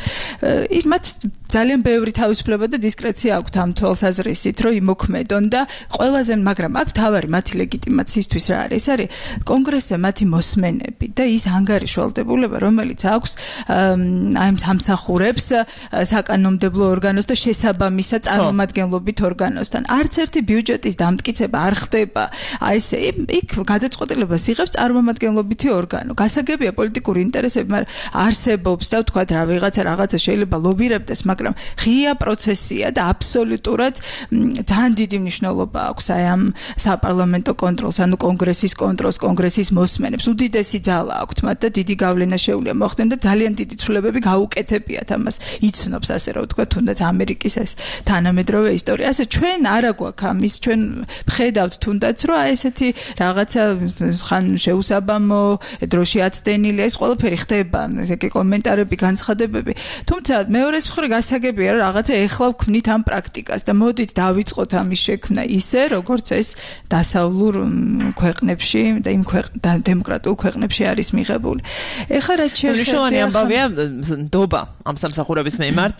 მათ ძალიან ბევრი თავისუფლება და დისკრეცია აქვთ ამ თვალსაზრისით, რომ იმოქმედონ და ყველაზე, მაგრამ აქ თავარი მათი ლეგიტიმაციისთვის რა არის? ეს არის კონგრესზე მათი მოსმენები და ის ანგარიშვალდებულება, რომელიც აქვს აი ამ სამსახურებს საკანონმდებლო ორგანოს და შესაბამისა წარმომადგენლობით ორგანოსთან. არც ერთი ბიუჯეტის დამტკიცება არ ხდება. აი ესე იქ გადაწყვეტილებას იღებს წარმომადგენლობითი ორგანო. გასაგებია პოლიტიკური ინტერესები, მაგრამ არსებობს და ვთქვათ რა ვიღაცა რაღაცა შეიძლება ლობირებდეს, მაგრამ ღია პროცესია და აბსოლუტურად ძალიან დიდი მნიშვნელობა აქვს აი ამ საპარლამენტო კონტროლს, ანუ კონგრესის კონტროლს, კონგრესის მოსმენებს. უდიდესი ძალა აქვთ მათ და დიდი გავლენა შეუძლია მოხდნენ და ძალიან დიდი ცვლილებები გაუკეთებიათ ამას. იცნობს ასე რომ ვთქვათ, თუნდაც ამერიკის ეს თანამედროვე ისტორია. ასე ჩვენ არა გვაქვს ამის, ჩვენ ვხედავთ თუნდაც რომ აი ესეთი რაღაცა ხან შეუსაბამო დროში აცდენილი, ეს ყველაფერი ხდება, ესე კი კომენტარები, განცხადებები. თუმცა მეორეს მხრივ გასაგებია რა რაღაცა ეხლა ვქმნით ამ პრაქტიკას და მოდით დავიწყოთ ამის შექმნა ისე როგორც ეს დასავლურ ქვეყნებში და იმ დემოკრატიულ ქვეყნებში არის მიღებული. ეხლა რაც შეეხება ამბავია ნდობა ამ სამსახურების მიმართ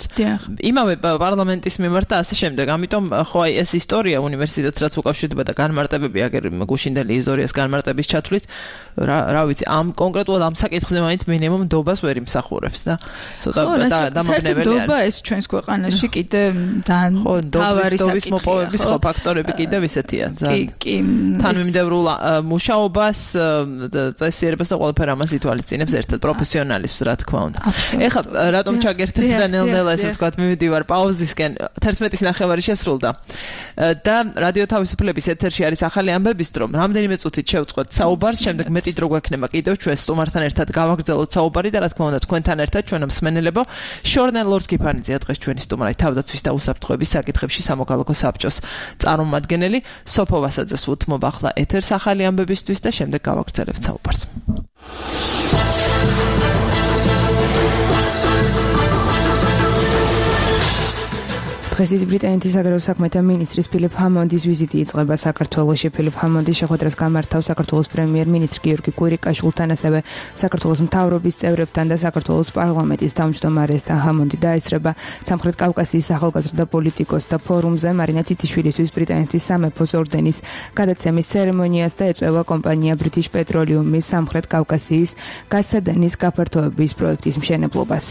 იმავე პარლამენტის მიმართ და ასე შემდეგ. ამიტომ ხო აი ეს ისტორია უნივერსიტეტს რაც უკავშირდება და განმარტებები აგერ გუშინდელი ისტორიას განმარტების ჩათვლით რა რა ვიცი ამ კონკრეტულად ამ საკითხზე მაინც მინიმუმ ნდობას ვერ იმსახურებს და ცოტა დამაგნებელი არის. ნდობა ეს ჩვენს ქვეყანაში კიდე ძალიან თავარი საკითხია. მოპოვების ხო ფაქტორები კიდევ ისეთია. თანმიმდევრულ მუშაობას წესიერებას და ყველაფერ ამას ითვალისწინებს ერთად პროფესიონალიზმს რა თქმა უნდა. ეხლა რატომ ჩაგერთეთ და ნელ-ნელა ესე ვთქვათ მივიდივარ პაუზისკენ თერთმეტის ნახევარი შესრულდა და რადიო თავისუფლების ეთერში არის ახალი ამბების დრო რამდენიმე წუთით შევწყვეტ საუბარს შემდეგ მეტი დრო გვექნება კიდევ ჩვენ სტუმართან ერთად გავაგრძელოთ საუბარი და რა თქმა უნდა თქვენთან ერთად ჩვენ მსმენელებო შორნელ ლორდ კიფანიძეა დღეს ჩვენი სტუმარი თავდაცვის და უსაფრთხოების საკითხებში სამოქალაქო საბჭოს წარმომადგენელი სოფო ვასაძეს უთმობ ახლა ეთერს ახალი ამბებისთვის და შემდეგ გავაგრძელებთ საუბარს. დღეს ბრიტანეთის საგარეო საქმეთა მინისტრის ფილიპ ჰამონდის ვიზიტი იწყება საქართველოში. ფილიპ ჰამონდი შეხვედრას გამართავს საქართველოს პრემიერ-მინისტრ გიორგი კვირიკაშვილთან, ასევე საქართველოს მთავრობის წევრებთან და საქართველოს პარლამენტის თავმჯდომარესთან. ჰამონდი დაესწრება სამხრეთ კავკასიის ახალგაზრდა პოლიტიკოსთა ფორუმზე მარინა ციციშვილისთვის ბრიტანეთის სამეფოს ორდენის გადაცემის ცერემონიას და ეწევა კომპანია British Petroleum-ის სამხრეთ კავკასიის გაზსადენის გაფართოების პროექტის მშენებლობას.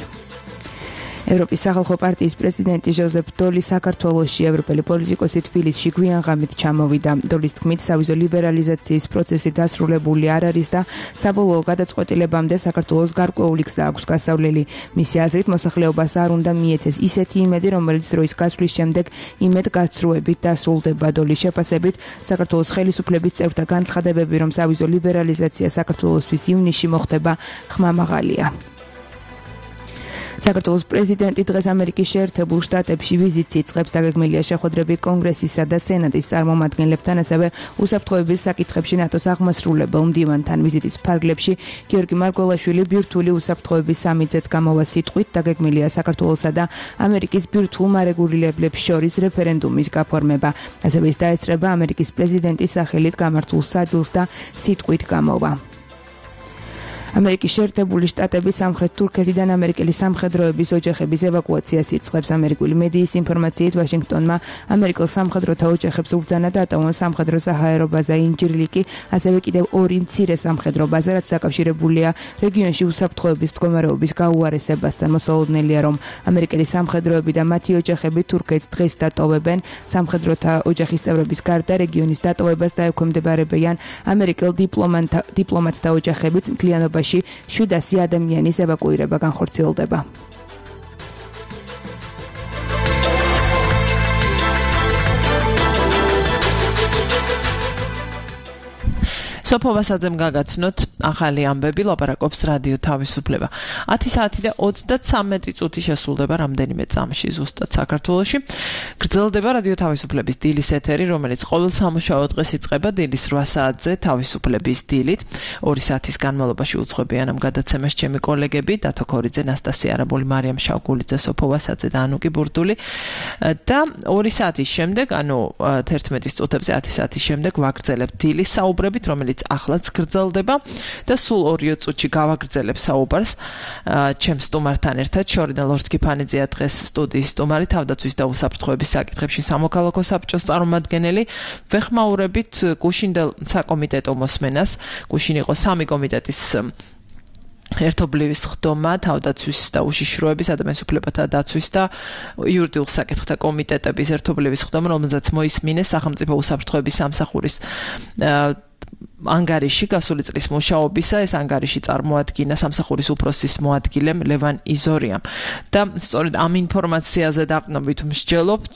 ევროპის სახალხო პარტიის პრეზიდენტი ჟოზეფ დოლი საქართველოში ევროპელი პოლიტიკოსი თბილისში გვიანღამით ჩამოვიდა. დოლის თქმით, სავიზო ლიბერალიზაციის პროცესი დასრულებული არ არის და საბოლოო გადაწყვეტილებამდე საქართველოს გარკვეული გზა აქვს გასავლელი. მისი აზრით, მოსახლეობას არ უნდა მიეცეს ისეთი იმედი, რომელიც დროის გასვლის შემდეგ იმედგაცრუებით დასრულდება. დოლის შეფასებით, საქართველოს ხელისუფლების წევრთა განცხადებები, რომ სავიზო ლიბერალიზაცია საქართველოსთვის ივნისში მოხდება, ხმამაღალია. საქართველოს პრეზიდენტი დღეს ამერიკის შეერთებულ შტატებში ვიზიტს იწყებს. დაგეგმილია შეხვედრები კონგრესისა და სენატის წარმომადგენლებთან, ასევე უსაფრთხოების საკითხებში ნატოს აღმასრულებელ მდივანთან. ვიზიტის ფარგლებში გიორგი მარგველაშვილი ბირთვული უსაფრთხოების სამიტზეც გამოვა სიტყვით. დაგეგმილია საქართველოსა და ამერიკის ბირთვულ მარეგულირებლებს შორის რეფერენდუმის გაფორმება. ასევე ის დაესწრება ამერიკის პრეზიდენტის სახელით გამართულ სადილს და სიტყვით გამოვა. ამერიკის შეერთებული შტატების სამხრეთ თურქეთიდან ამერიკელი სამხედროების ოჯახების ევაკუაციას იწყებს. ამერიკული მედიის ინფორმაციით ვაშინგტონმა ამერიკელ სამხედროთა ოჯახებს უბრძანა დატოვონ სამხედრო საჰაერო ბაზა ინჯირლიკი, ასევე კიდევ ორი მცირე სამხედრო ბაზა, რაც დაკავშირებულია რეგიონში უსაფრთხოების მდგომარეობის გაუარესებასთან. მოსალოდნელია, რომ ამერიკელი სამხედროები და მათი ოჯახები თურქეთს დღეს დატოვებენ. სამხედროთა ოჯახის წევრების გარდა რეგიონის დატოვებას დაექვემდებარებიან ამერიკელ დიპლომატთა ოჯახებიც. მთლიანობაში შვიდასი ადამიანის ევაკუირება განხორციელდება. სოფო ვასაძემ გაგაცნოთ ახალი ამბები, ლაპარაკობს რადიო თავისუფლება. ათი საათი და ოცდათვრამეტი წუთი შესრულდება რამდენიმე წამში ზუსტად საქართველოში. გრძელდება რადიო თავისუფლების დილის ეთერი, რომელიც ყოველ სამუშაო დღეს იწყება დილის რვა საათზე თავისუფლების დილით. ორი საათის განმავლობაში უძღვებიან ამ გადაცემას ჩემი კოლეგები დათო ქორიძე, ნასტასია არაბული, მარიამ შავგულიძე, სოფო ვასაძე და ანუკი ბურდული. და ორი საათის შემდეგ, ანუ თერთმეტის წუთებზე ათი საათის შემდეგ ვაგრძელებთ დილის საუბრებით, რომელიც ახლაც გრძელდება და სულ ორი წუთში გავაგრძელებ საუბარს ჩემს სტუმართან ერთად. შორიდან ლორდ კიფანიძეა დღეს სტუდიის სტუმარი, თავდაცვის და უსაფრთხოების საკითხებში სამოქალაქო საბჭოს წარმომადგენელი. ვეხმაურებით გუშინდელ საკომიტეტო მოსმენას. გუშინ იყო სამი კომიტეტის ერთობლივი ხდომა, თავდაცვის და უშიშროების, ადამიანის უფლებათა დაცვის და იურიდიულ საკითხთა კომიტეტების ერთობლივი ხდომა, რომელზეც მოისმინეს სახელმწიფო უსაფრთხოების სამსახურის ანგარიში გასული წლის მუშაობისა. ეს ანგარიში წარმოადგინა სამსახურის უფროსის მოადგილემ ლევან იზორიამ და სწორედ ამ ინფორმაციაზე დაყნობით მსჯელობთ,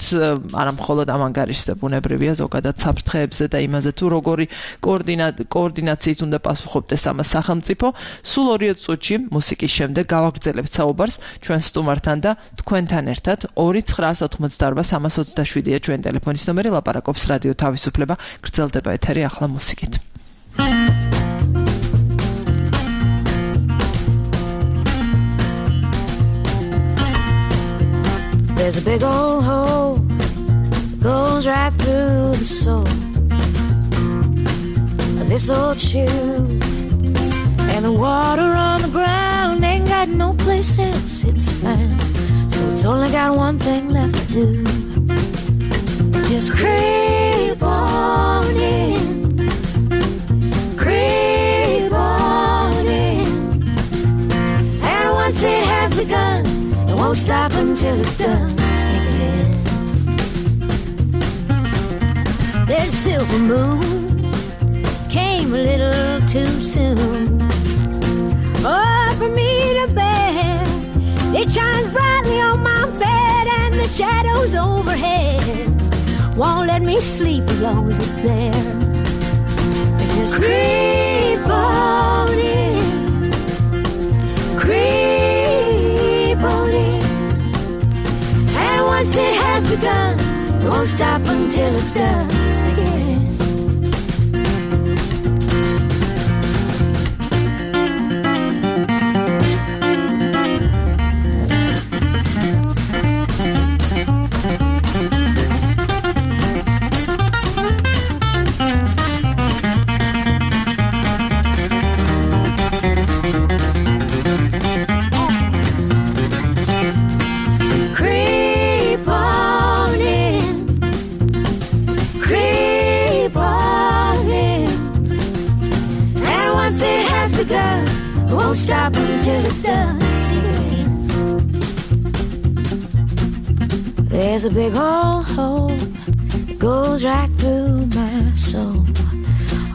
არა მხოლოდ ამ ანგარიშზე, ბუნებრივია ზოგადად საფრთხეებზე და იმაზე თუ როგორი კოორდინაციით უნდა პასუხობდეს ამას სახელმწიფო. სულ ორი წუთში მუსიკის შემდეგ გავაგრძელებთ საუბარს ჩვენ სტუმართან და თქვენთან ერთად. ორი ცხრაას ოთხმოცდაორბა სამას ოცდაშვიდია ჩვენი ტელეფონის ნომერი, ლაპარაკობს რადიო თავისუფლება. გრძელდება ეთერი ახლა მუსიკით. There's a big old hole that goes right through the soul of this old shoe. And the water on the ground ain't got no place else it's found. So it's only got one thing left to do. Just creep on in. Creep on in. And once it has begun, it won't stop until it's done. Sneak it in. There's a silver moon, came a little too soon. Oh, for me to bear, it shines brightly on my bed, and the shadows overhead won't let me sleep as long as it's there. Just creep on in, creep on in, and once it has begun, it won't stop until it's done. Sneak it in. Stop until it's done. There's a big old hole that goes right through my soul.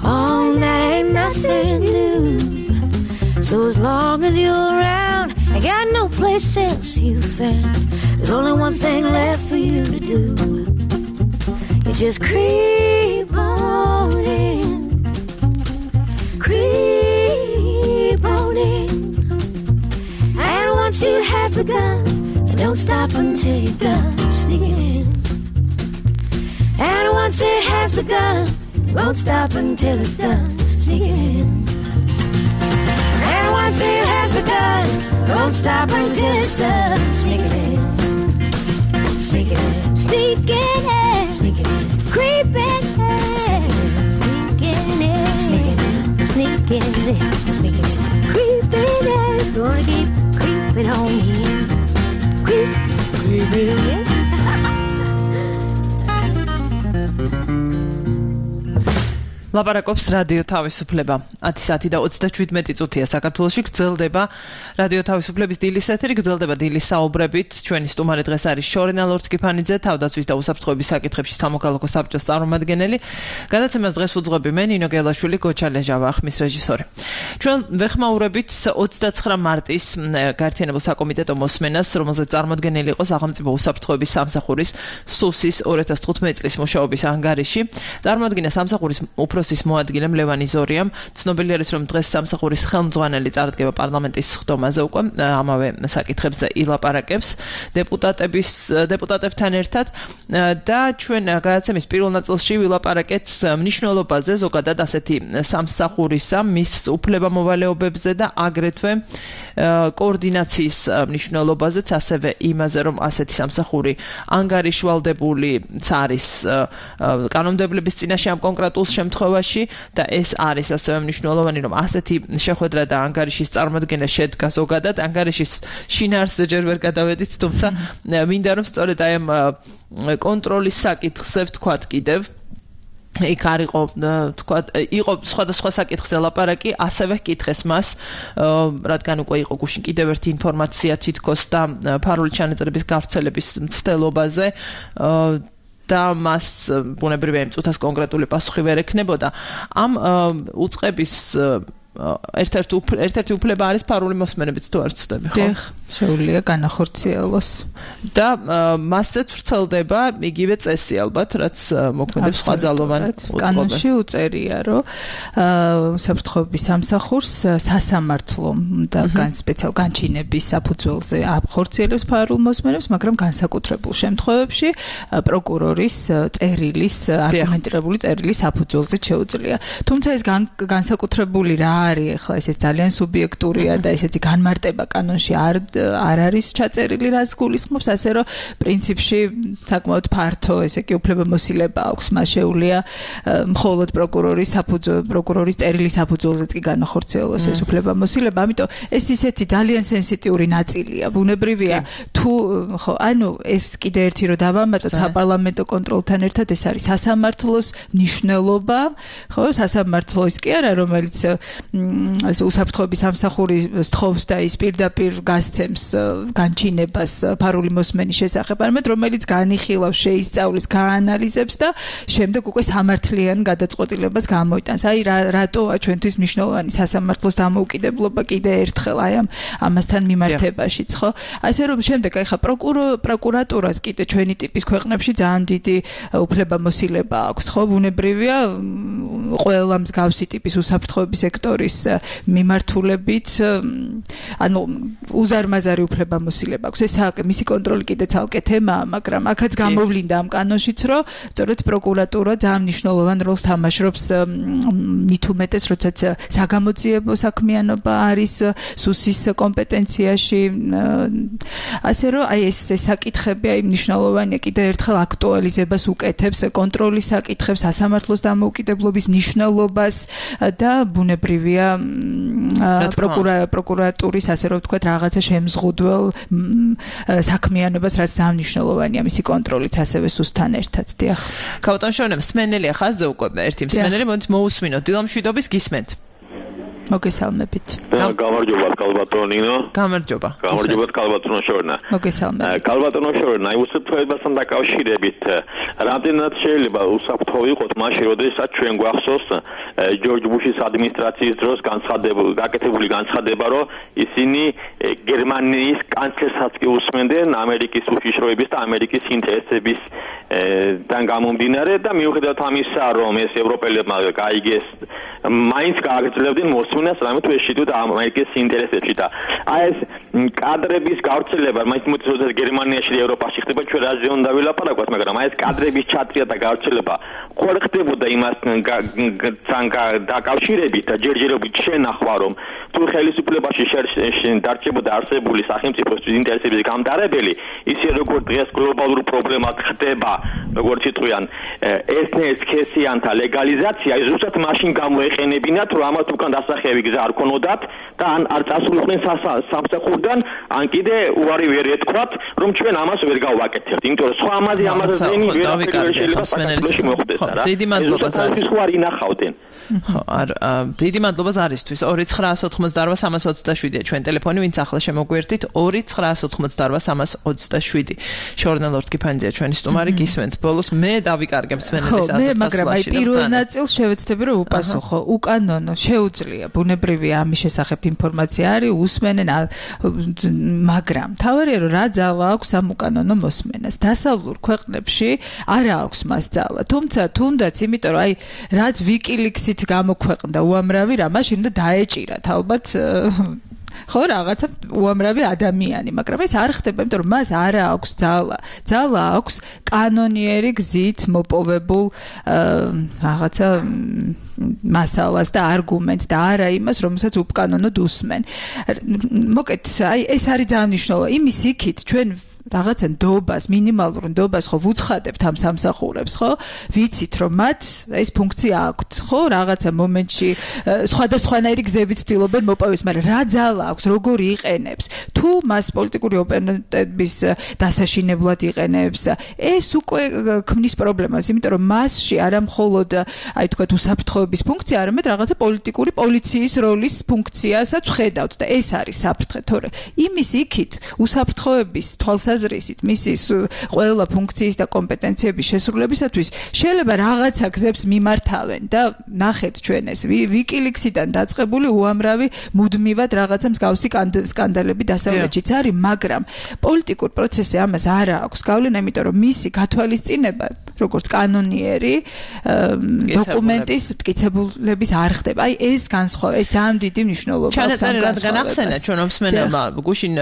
Oh, that ain't nothing new. So as long as you're around, I got no place else you found. There's only one thing left for you to do. You just creep on in. Creep on in. And once you have begun, you don't stop until you're done. Sneak it in. And once it has begun, you won't stop until it's done. Sneak it in. And once it has begun, you won't stop until it's done. Sneak it in. Sneak it in. Sneak it in. Sneak it in. Creep in. Sneak it in. Sneak it in. Sneak it in. Sneak it in. Sneak it in. Creep in. Gonna keep creeping on in. Creep, creeping in. ლაპარაკობს რადიო თავისუფლება. ათი საათი და ოცდაშვიდმეტი წუთია საქართველოში გრძელდება რადიო თავისუფლების დილის ეთერი, გრძელდება დილის საუბრებით. ჩვენი სტუმარი დღეს არის შორენა ლორთქიფანიძე, თავდაცვის და უსაფრთხოების საკითხებში სამოქალაქო საბჭოს წარმომადგენელი. გადაცემას დღეს უძღვები მე, ნინო გელაშვილი, გოჩა ლეჟავა, ხმის რეჟისორი. ჩვენ ვეხმაურებით ოცდაცხრა მარტის გაერთიანებულ საკომიტეტო მოსმენას, რომელზეც წარმოდგენილი იყო სახელმწიფო უსაფრთხოების სამსახურის სუსის ორი ათას თხუთმეტი წლის მუშაობის ანგარიში. წარმოადგინა სამსახურის უფროსის მოადგილემ ლევან იზორიამ. ცნობილი არის, რომ დღეს სამსახურის ხელმძღვანელი წარდგება პარლამენტის სხდომაზე უკვე ამავე საკითხებზე ილაპარაკებს დეპუტატების დეპუტატებთან ერთად და ჩვენ გადაცემის პირველ ნაწილში ვილაპარაკეთ მნიშვნელობაზე, ზოგადად ასეთი სამსახურისა, მის უფლებამოვალეობებზე და აგრეთვე კოორდინაციის მნიშვნელობაზეც, ასევე იმაზე, რომ ასეთი სამსახური ანგარიშვალდებულიც არის კანონმდებლობის წინაშე ამ კონკრეტულ შემთხვევაში და ეს არის ასევე მნიშვნელოვანი, რომ ასეთი შეხვედრა და ანგარიშის წარმოდგენა შედგა ზოგადად. ანგარიშის შინაარსზე ჯერ ვერ გადავედით, თუმცა მინდა რომ სწორედ აი ამ კონტროლის საკითხზე ვთქვათ კიდევ იქ არ იყო თქვა იყო სხვადასხვა საკითხზე ლაპარაკი, ასევე კითხეს მას, რადგან უკვე იყო გუშინ კიდევ ერთი ინფორმაცია თითქოს და ფარული ჩანაწერების გავრცელების მცდელობაზე და მას ბუნებრივია იმ წუთას კონკრეტული პასუხი ვერ ექნებოდა. ამ უწყების ერთ-ერთი ერთ-ერთი უფლება არის ფარული მოსმენებით, თუ არ ვცდები, ხო? დიახ, შეუძლია განახორციელოს. და მასზეც ვრცელდება იგივე წესი ალბათ, რაც მოქმედებს სხვა ძალოვან უწყობებში. კანონში უწერია, რომ უსაფრთხოების სამსახურს სასამართლო და გან სპეციალ განჩინების საფუძველზე ახორციელებს ფარულ მოსმენებს, მაგრამ განსაკუთრებულ შემთხვევებში პროკურორის წერილის, არგუმენტირებული წერილის საფუძველზე შეუძლია. თუმცა ეს განსაკუთრებული რა არის ახლა ეს ძალიან სუბიექტურია და ესეთი განმარტება კანონში არ არ არის ჩაწერილი რას გულისხმობს ასე რომ პრინციპში საკმაოდ ფართო ესე კი უფლებამოსილება აქვს მას შეუძლია მხოლოდ პროკურორის საფუძველ პროკურორის წერილი საფუძველზეც კი განახორციელოს ეს უფლებამოსილება ამიტომ ეს ისეთი ძალიან სენსიტიური ნაწილია ბუნებრივია თუ ხო ანუ ეს კიდე ერთი რომ დავამატოთ საპარლამენტო კონტროლთან ერთად ეს არის სასამართლოს მნიშვნელობა ხო სასამართლოს კი არა რომელიც უსაფრთხოების სამსახური სთხოვს და ის პირდაპირ გასცემს განჩინებას ფარული მოსმენის შესახებ არამედ რომელიც განიხილავს შეისწავლის გაანალიზებს და შემდეგ უკვე სამართლიან გადაწყვეტილებას გამოიტანს აი რატოა ჩვენთვის მნიშვნელოვანი სასამართლოს დამოუკიდებლობა კიდე ერთხელ აი ამ ამასთან მიმართებაშიც ხო ასე რომ შემდეგ აი ხა პროკურატურას კიდე ჩვენი ტიპის ქვეყნებში ძალიან დიდი უფლებამოსილება აქვს ხო ბუნებრივია ყველა მსგავსი ტიპის უსაფრთხოების სექტორის მიმართულებით ანუ უზარმაზარი უფლებამოსილება აქვს ეს მისი კონტროლი კიდე ცალკე თემაა მაგრამ აქაც გამოვლინდა ამ კანონშიც რომ სწორედ პროკურატურა ძალიან მნიშვნელოვან როლს თამაშობს მით უმეტეს როდესაც საგამოძიებო საქმიანობა არის სუსის კომპეტენციაში ასე რომ აი ეს საკითხები აი მნიშვნელოვანია კიდე ერთხელ აქტუალიზებას უკეთებს კონტროლის საკითხებს სასამართლოს დამოუკიდებლობის მნიშვნელობას და ბუნებრივია პროკურატურის ასე რომ ვთქვათ რაღაცა შემზღუდველ საქმიანობას რაც ძალიან მნიშვნელოვანია მისი კონტროლიც ასევე სუსთან ერთად დიახ ქავტონ შორნემ სმენელია ხაზზე უკვე ერთი სმენელი მოდით მოусმინოთ დილამშვიდობის გისმენთ მოგესალმებით. გამარჯობა კალბატონინო. გამარჯობა. გამარჯობა კალბატონო შორნა. მოგესალმებით. კალბატონო შორნა, აი უსაფრთხოებასთან დაკავშირებით რამდენად შეიძლება უსაფრთხო იყოთ მაშინ, როდესაც ჩვენ გვახსოვს ჯორჯ ბუშის ადმინისტრაციის დროს განცხადებული, გაკეთებული განცხადება, რომ ისინი გერმანიის კანცლერსაც კი უსმენდნენ ამერიკის უშიშროების და ამერიკის ინტერესების თან გამომდინარე და მიუხედავად ამისა, რომ ეს ევროპელებმა გაიგეს, მაინც გააგრძელებდნენ მოსვენას, რამე თუ ეშიდოთ ამერიკის ინტერესებში და აი ეს კადრების გავრცელება, მაინც მოწოდებს გერმანიაში და ევროპაში ხდება, ჩვენ რაზე უნდა ვილაპარაკოთ, მაგრამ აი ეს კადრების ჩატრია და გავრცელება ხوار ხდებოდა იმასთან დაკავშირებით და ჯერჯერობით შენახვა, რომ თუ ხელისუფლებაში დარჩებოდა არსებული სახელმწიფოს ინტერესების გამტარებელი, ისე როგორც დღეს გლობალურ პრობლემად ხდება, როგორც იტყვიან, ესნეს ქესიანთა ლეგალიზაცია, ის ზუსტად მაშინ გამოეყენებინათ, რომ ამათ უკან დასახევი გზა არ ქონოდათ და ან არ წასულიყვნენ სამსახურიდან, ან კიდე უარი ვერ ეთქვათ, რომ ჩვენ ამას ვერ გავაკეთებთ. იმიტომ რომ სხვა ამაზე ამაზე ზენი ვერ შეიძლება საქართველოში მოხდეს რა. დიდი მადლობა ზარისთვის ხო არ ინახავდნენ. ხო, არ დიდი მადლობა ზარისთვის. ორი ცხრაასი ოცდაოთხმოცდაოთხ სამას ოცდაშვიდია ჩვენ ტელეფონი, ვინც ახლა შემოგვერთით ორი ცხრაასი ოცდაოთხმოცდაოთხ სამას ოცდაშვიდი. შორნელ ორთქიფანიძეა ჩვენი სტუმარი, გისმენთ. ბოლოს მე დავიკარგებ სმენელის ასაკს. მე მაგრამ აი პირველ ნაწილს შევეცდები რომ უპასუხო. უკანონო შეუძლია ბუნებრივია ამის შესახებ ინფორმაცია არის, უსმენენ, მაგრამ თავარია რომ რა ძალა აქვს ამ უკანონო მოსმენას. დასავლურ ქვეყნებში არ აქვს მას ძალა. თუმცა თუნდაც იმიტომ რომ აი რაც ვიკილიქსით გამოქვეყნდა უამრავი რა, მაშინ უნდა დაეჭირათ ალბათ ხო რაღაცა უამრავი ადამიანი, მაგრამ ეს არ ხდება, იმიტომ რომ მას არ აქვს ძალა. ძალა აქვს კანონიერი გზით მოპოვებულ რაღაცა მასალას და არგუმენტს და არა იმას, რომელსაც უკანონოდ უსმენ. მოკეთ, აი ეს არის ძალიან მნიშვნელოვანი. იმის იქით ჩვენ რაღაცა ნდობას, მინიმალურ ნდობას ხო ვუცხადებთ ამ სამსახურებს, ხო? ვიცით რომ მათ ეს ფუნქცია აქვთ, ხო? რაღაცა მომენტში სხვადასხვანაირი გზებით ცდილობენ მოპოვოს, მაგრამ რა ძალა აქვს, როგორი იყენებს? თუ მას პოლიტიკური ოპონენტების დასაშინებლად იყენებს, ეს უკვე ქმნის პრობლემას, იმიტომ რომ მასში არა მხოლოდ აი თქვათ უსაფრთხოების ფუნქცია, არამედ რაღაცა პოლიტიკური პოლიციის როლის ფუნქციასაც ხედავთ და ეს არის საფრთხე, თორე იმის იქით უსაფრთხოების თვალსაზრისით მისის ყველა ფუნქციის და კომპეტენციების შესრულებისათვის შეიძლება რაღაცა გზებს მიმართავენ და ნახეთ ჩვენ ეს ვიკილიქსიდან დაწყებული უამრავი მუდმივად რაღაცა მსგავსი სკანდალები დასავლეთშიც არის, მაგრამ პოლიტიკურ პროცესზე ამას არ აქვს გავლენა, იმიტომ რომ მისი გათვალისწინება როგორც კანონიერი დოკუმენტის მტკიცებულების არ ხდება. აი ეს განსხვავება, ეს ძალიან დიდი მნიშვნელობა აქვს ამ განსხვავებას. რადგან ახსენა ჩვენ მსმენელმა გუშინ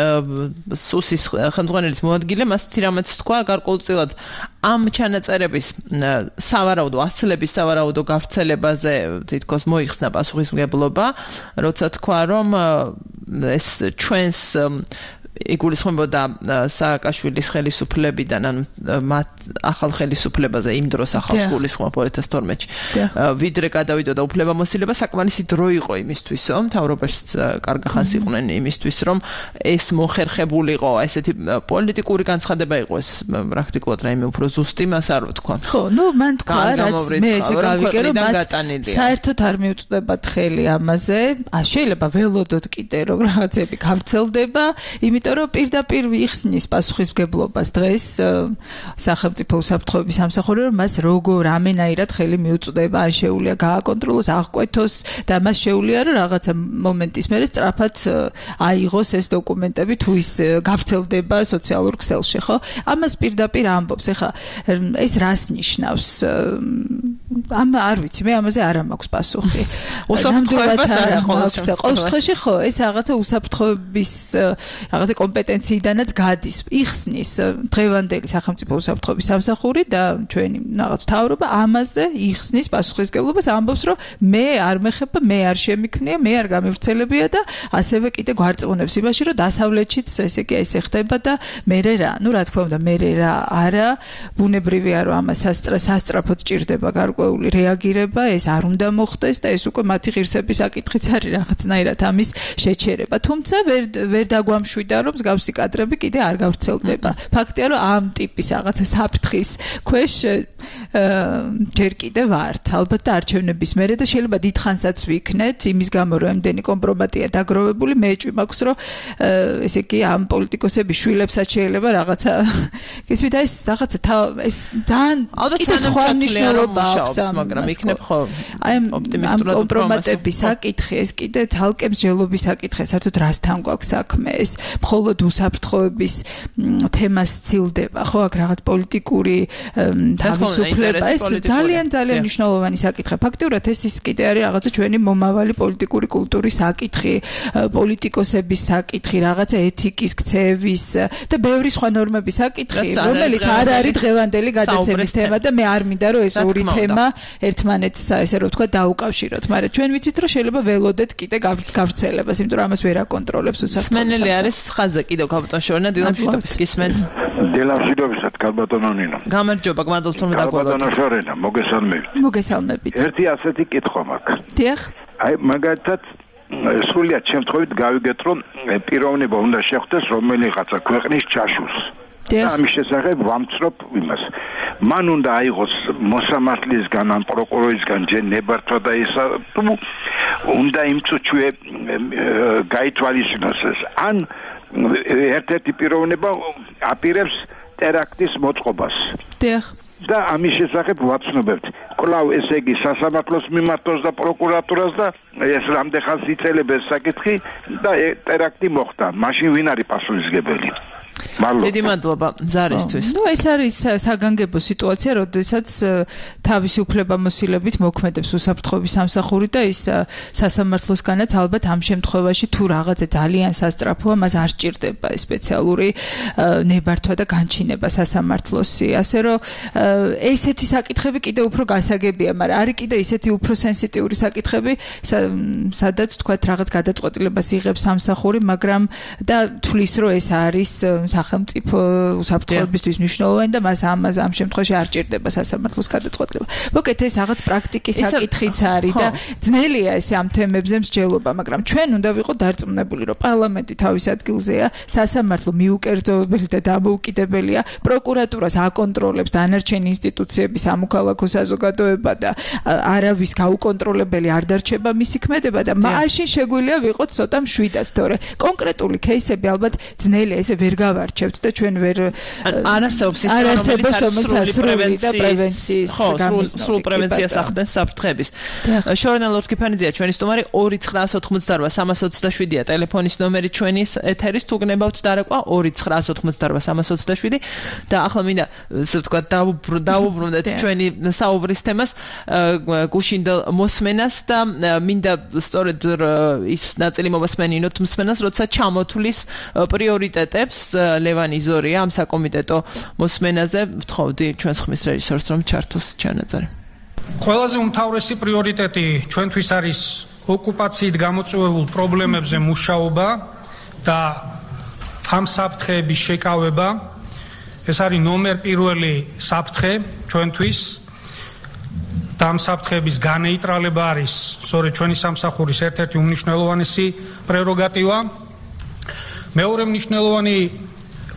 სუსის ხელმძღვანელის მოადგილე მასეთი რამაც თქვა გარკვეულწილად ამ ჩანაწერების სავარაუდო ასლების სავარაუდო გავრცელებაზე თითქოს მოიხსნა პასუხისმგებლობა, როცა თქვა რომ ეს ჩვენს იგულისხმებოდა სააკაშვილის ხელისუფლებიდან ან მათ ახალ ხელისუფლებაზე იმ დროს ახალ გულისხმობ ორი ათას თორმეტში ვიდრე გადავიდოდა უფლებამოსილება საკმარისი დრო იყო იმისთვის რომ მთავრობაში კარგა ხანს იყვნენ იმისთვის რომ ეს მოხერხებულიყო ესეთი პოლიტიკური განცხადება იყო ეს პრაქტიკულად რაიმე უფრო ზუსტი მას არ ვთქვა ხო ნუ მან თქვა რაც მე ესე გავიგე რომ მათ საერთოდ არ მიუწვდებათ ხელი ამაზე შეიძლება ველოდოთ კიდე რომ რაღაცები გავრცელდება იმიტომ რომ პირდაპირ იხსნის პასუხისმგებლობას დღეს სახელმწიფო უსაფრთხოების სამსახური რომ მას როგორ ამენაირად ხელი მიუწვდება ან შეუძლია გააკონტროლოს აღკვეთოს და მას შეუძლია რომ რაღაცა მომენტის მერე სწრაფად აიღოს ეს დოკუმენტები თუ ის გავრცელდება სოციალურ ქსელში ხო ამას პირდაპირ ამბობს ეხლა ეს რას ნიშნავს ამ არ ვიცი მე ამაზე არ მაქვს პასუხი უსაფრთხოებას არ აქვს ყოველ შემთხვევაში ხო ეს რაღაცა უსაფრთხოების რაღაცა კომპეტენციიდანაც გადის იხსნის დღევანდელი სახელმწიფო უსაფრთხოების სამსახური და ჩვენი რაღაც მთავრობა ამაზე იხსნის პასუხისმგებლობას ამბობს რომ მე არ მეხება მე არ შემიქმნია მე არ გამივრცელებია და ასევე კიდე გვარწმუნებს იმაში რომ დასავლეთშიც ესე იგი ესე ხდება და მე რა ну რა თქმა უნდა მე რა არა ბუნებრივია რომ ამას სასწრაფოდ ჭირდება გარკვეული რეაგირება ეს არ უნდა მოხდეს და ეს უკვე მათი ღირსების საკითხიც არის რაღაცნაირად ამის შეჩერება თუმცა ვერ ვერ დაგვამშვიდა რომ მსგავსი კადრები კიდე არ გავრცელდება. ფაქტია რომ ამ ტიპის რაღაცა საფრთხის ქვეშ ჯერ კიდე ვართ. ალბათ და არჩევნების მერე და შეიძლება დიდხანსაც ვიქნეთ იმის გამო რომ ამდენი კომპრომატია დაგროვებული მე ჭვი მაქვს რომ ესე იგი ამ პოლიტიკოსების შვილებსაც შეიძლება რაღაცა ისე და ეს რაღაცა ეს ძალიან კიდე სხვა მნიშვნელობა აქვს მაგრამ იქნებ ხო აი ამ კომპრომატების საკითხი ეს კიდე თალკე მსჯელობის საკითხი საერთოდ რასთან გვაქვს საქმე ეს მხოლოდ უსაფრთხოების თემას ცილდება ხო აქ რაღაც პოლიტიკური თავისუფლება ეს ძალიან ძალიან მნიშვნელოვანი საკითხია ფაქტიურად ეს ის კიდე არის რაღაცა ჩვენი მომავალი პოლიტიკური კულტურის საკითხი პოლიტიკოსების საკითხი რაღაცა ეთიკის ქცევის და ბევრი სხვა ნორმების საკითხი რომელიც არ არის დღევანდელი გადაცემის თემა და მე არ მინდა რომ ეს ორი თემა ერთმანეთს ესე რომ თქვა დაუკავშიროთ მაგრამ ჩვენ ვიცით რომ შეიძლება ველოდეთ კიდე გავრცელებას იმიტომ რომ ამას ვერ აკონტროლებს უსაფრთხოება სმენელი არის ხაზზე კიდევ კაპიტან შორნა დილამშვიდობის გისმენთ დილამშვიდობისად კალბატონო ნინო გამარჯობა გმადლობთ რომ დაგვაგოთ კალბატონო შორნა მოგესალმებით მოგესალმებით ერთი ასეთი კითხვა მაქვს დიახ აი მაგალითად სრულიად შემთხვევით გავიგეთ რომ პიროვნება უნდა შეხვდეს რომელიღაცა ქვეყნის ჩაშულს და ამის შესახებ ვამცრობ იმას მან უნდა აიღოს მოსამართლისგან ან პროკურორისგან ჯერ ნებართვა და ისა თუ უნდა იმწუჩვე გაითვალისწინოს ეს ან ერთ-ერთი პიროვნება აპირებს ტერაქტის მოწყობას დიახ და ამის შესახებ ვაცნობებთ კვლავ ესე იგი სასამართლოს მიმართოს და პროკურატურას და ეს რამდენ ხანს იწელებს ეს საკითხი და ტერაქტი მოხდა მაშინ ვინ არის პასუხისმგებელი დიდი მადლობა ზარისთვის. ნუ ეს არის საგანგებო სიტუაცია, როდესაც თავისი უფლებამოსილებით მოქმედებს უსაფრთხოების სამსახური და ის სასამართლოსგანაც ალბათ ამ შემთხვევაში თუ რაღაცა ძალიან სასწრაფოა, მას არ სჭირდება სპეციალური ნებართვა და განჩინება სასამართლოსი. ასე რომ ესეთი საკითხები კიდე უფრო გასაგებია, მაგრამ არის კიდე ისეთი უფრო სენსიტიური საკითხები, სადაც თქვათ რაღაც გადაწყვეტილებას იღებს სამსახური, მაგრამ და თulis რომ ეს არის სახელმწიფო უსაფრთხოებისთვის მნიშვნელოვანი და მას ამას ამ შემთხვევაში არ ჭირდება სასამართლოს გადაწყვეტილება. მოკეთ ეს რაღაც პრაქტიკის საკითხიც არის და ძნელია ეს ამ თემებზე მსჯელობა, მაგრამ ჩვენ უნდა ვიყოთ დარწმუნებული, რომ პარლამენტი თავის ადგილზეა, სასამართლო მიუკერძოებელი და დამოუკიდებელია, პროკურატურას აკონტროლებს დანარჩენი ინსტიტუციების სამოქალაქო საზოგადოება და არავის გაუკონტროლებელი არ დარჩება მისი ქმედება და მაშინ შეგვიძლია ვიყოთ ცოტა მშვიდად, თორე კონკრეტული кейსები ალბათ ძნელია, ესე ვერ გავარჩევ არჩევთ და ჩვენ ვერ არ არსებობს სისტემა რომელიც სრული და პრევენციის სრულ პრევენციას ახდენს საფრთხების. შორენა ლორთქიფანიძეა ჩვენი სტუმარი ორი ცხრაას ოთხმოცდაორვა სამას ოცდაშვიდია ტელეფონის ნომერი ჩვენის ეთერის თუ გნებავთ დარეკვა ორი ცხრაას ოთხმოცდაორვა სამას ოცდაშვიდი და ახლა მინდა ასე ვთქვათ დაუბრუნდეთ ჩვენი საუბრის თემას გუშინდელ მოსმენას და მინდა სწორედ ის ნაწილი მომასმენინოთ მსმენას როცა ჩამოთვლის პრიორიტეტებს ლევან იზორია ამ საკომიტეტო მოსმენაზე ვთხოვდი ჩვენს ხმის რეჟისორს რომ ჩართოს ჩანაწერი. ყველაზე უმთავრესი პრიორიტეტი ჩვენთვის არის ოკუპაციით გამოწვეულ პრობლემებზე მუშაობა და ამ საფრთხეების შეკავება. ეს არის ნომერ პირველი საფრთხე ჩვენთვის და ამ საფრთხეების განეიტრალება არის სწორედ ჩვენი სამსახურის ერთ-ერთი უმნიშვნელოვანესი პრეროგატივა. მეორე მნიშვნელოვანი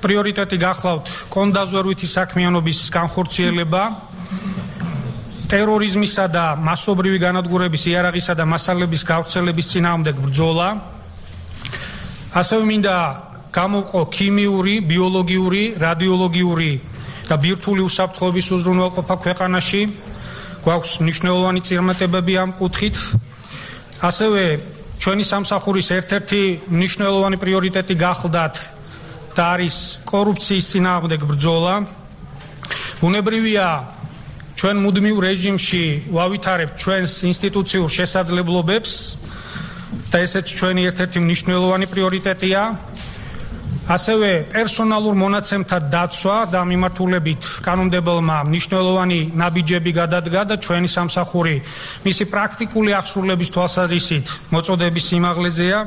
პრიორიტეტი გახლავთ კონდაზვერვითი საქმიანობის განხორციელება, ტერორიზმისა და მასობრივი განადგურების იარაღისა და მასალების გავრცელების წინააღმდეგ ბრძოლა. ასევე მინდა გამოვყო ქიმიური, ბიოლოგიური, რადიოლოგიური და ბირთვული უსაფრთხოების უზრუნველყოფა ქვეყანაში. გვაქვს მნიშვნელოვანი წინამორბედები ამ კუთხით. ასევე ჩვენი სამსახურის ერთ-ერთი მნიშვნელოვანი პრიორიტეტი გახლდათ და არის კორუფციის წინააღმდეგ ბრძოლა. ბუნებრივია ჩვენ მუდმივ რეჟიმში ვავითარებთ ჩვენს ინსტიტუციურ შესაძლებლობებს და ესეც ჩვენი ერთ-ერთი მნიშვნელოვანი პრიორიტეტია. ასევე პერსონალურ მონაცემთა დაცვა და მიმართულებით კანონმდებელმა მნიშვნელოვანი ნაბიჯები გადადგა და ჩვენი სამსახური მისი პრაქტიკული აღსრულების თვალსაზრისით მოწოდების სიმაღლეზეა.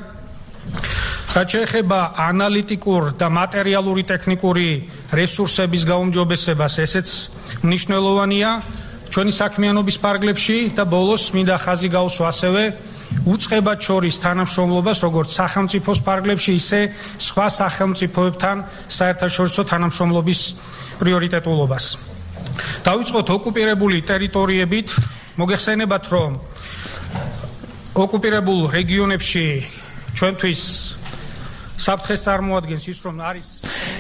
რაც შეეხება ანალიტიკურ და მატერიალური ტექნიკური რესურსების გაუმჯობესებას, ესეც მნიშვნელოვანია ჩვენი საქმიანობის ფარგლებში და ბოლოს მინდა ხაზი გაუსვა ასევე უწყებად შორის თანამშრომლობას, როგორც სახელმწიფოს ფარგლებში, ისე სხვა სახელმწიფოებთან საერთაშორისო თანამშრომლობის პრიორიტეტულობას. დავიწყოთ ოკუპირებული ტერიტორიებით. მოგეხსენებათ, რომ ოკუპირებულ რეგიონებში ჩვენთვის საფრთხეს წარმოადგენს ის, რომ არის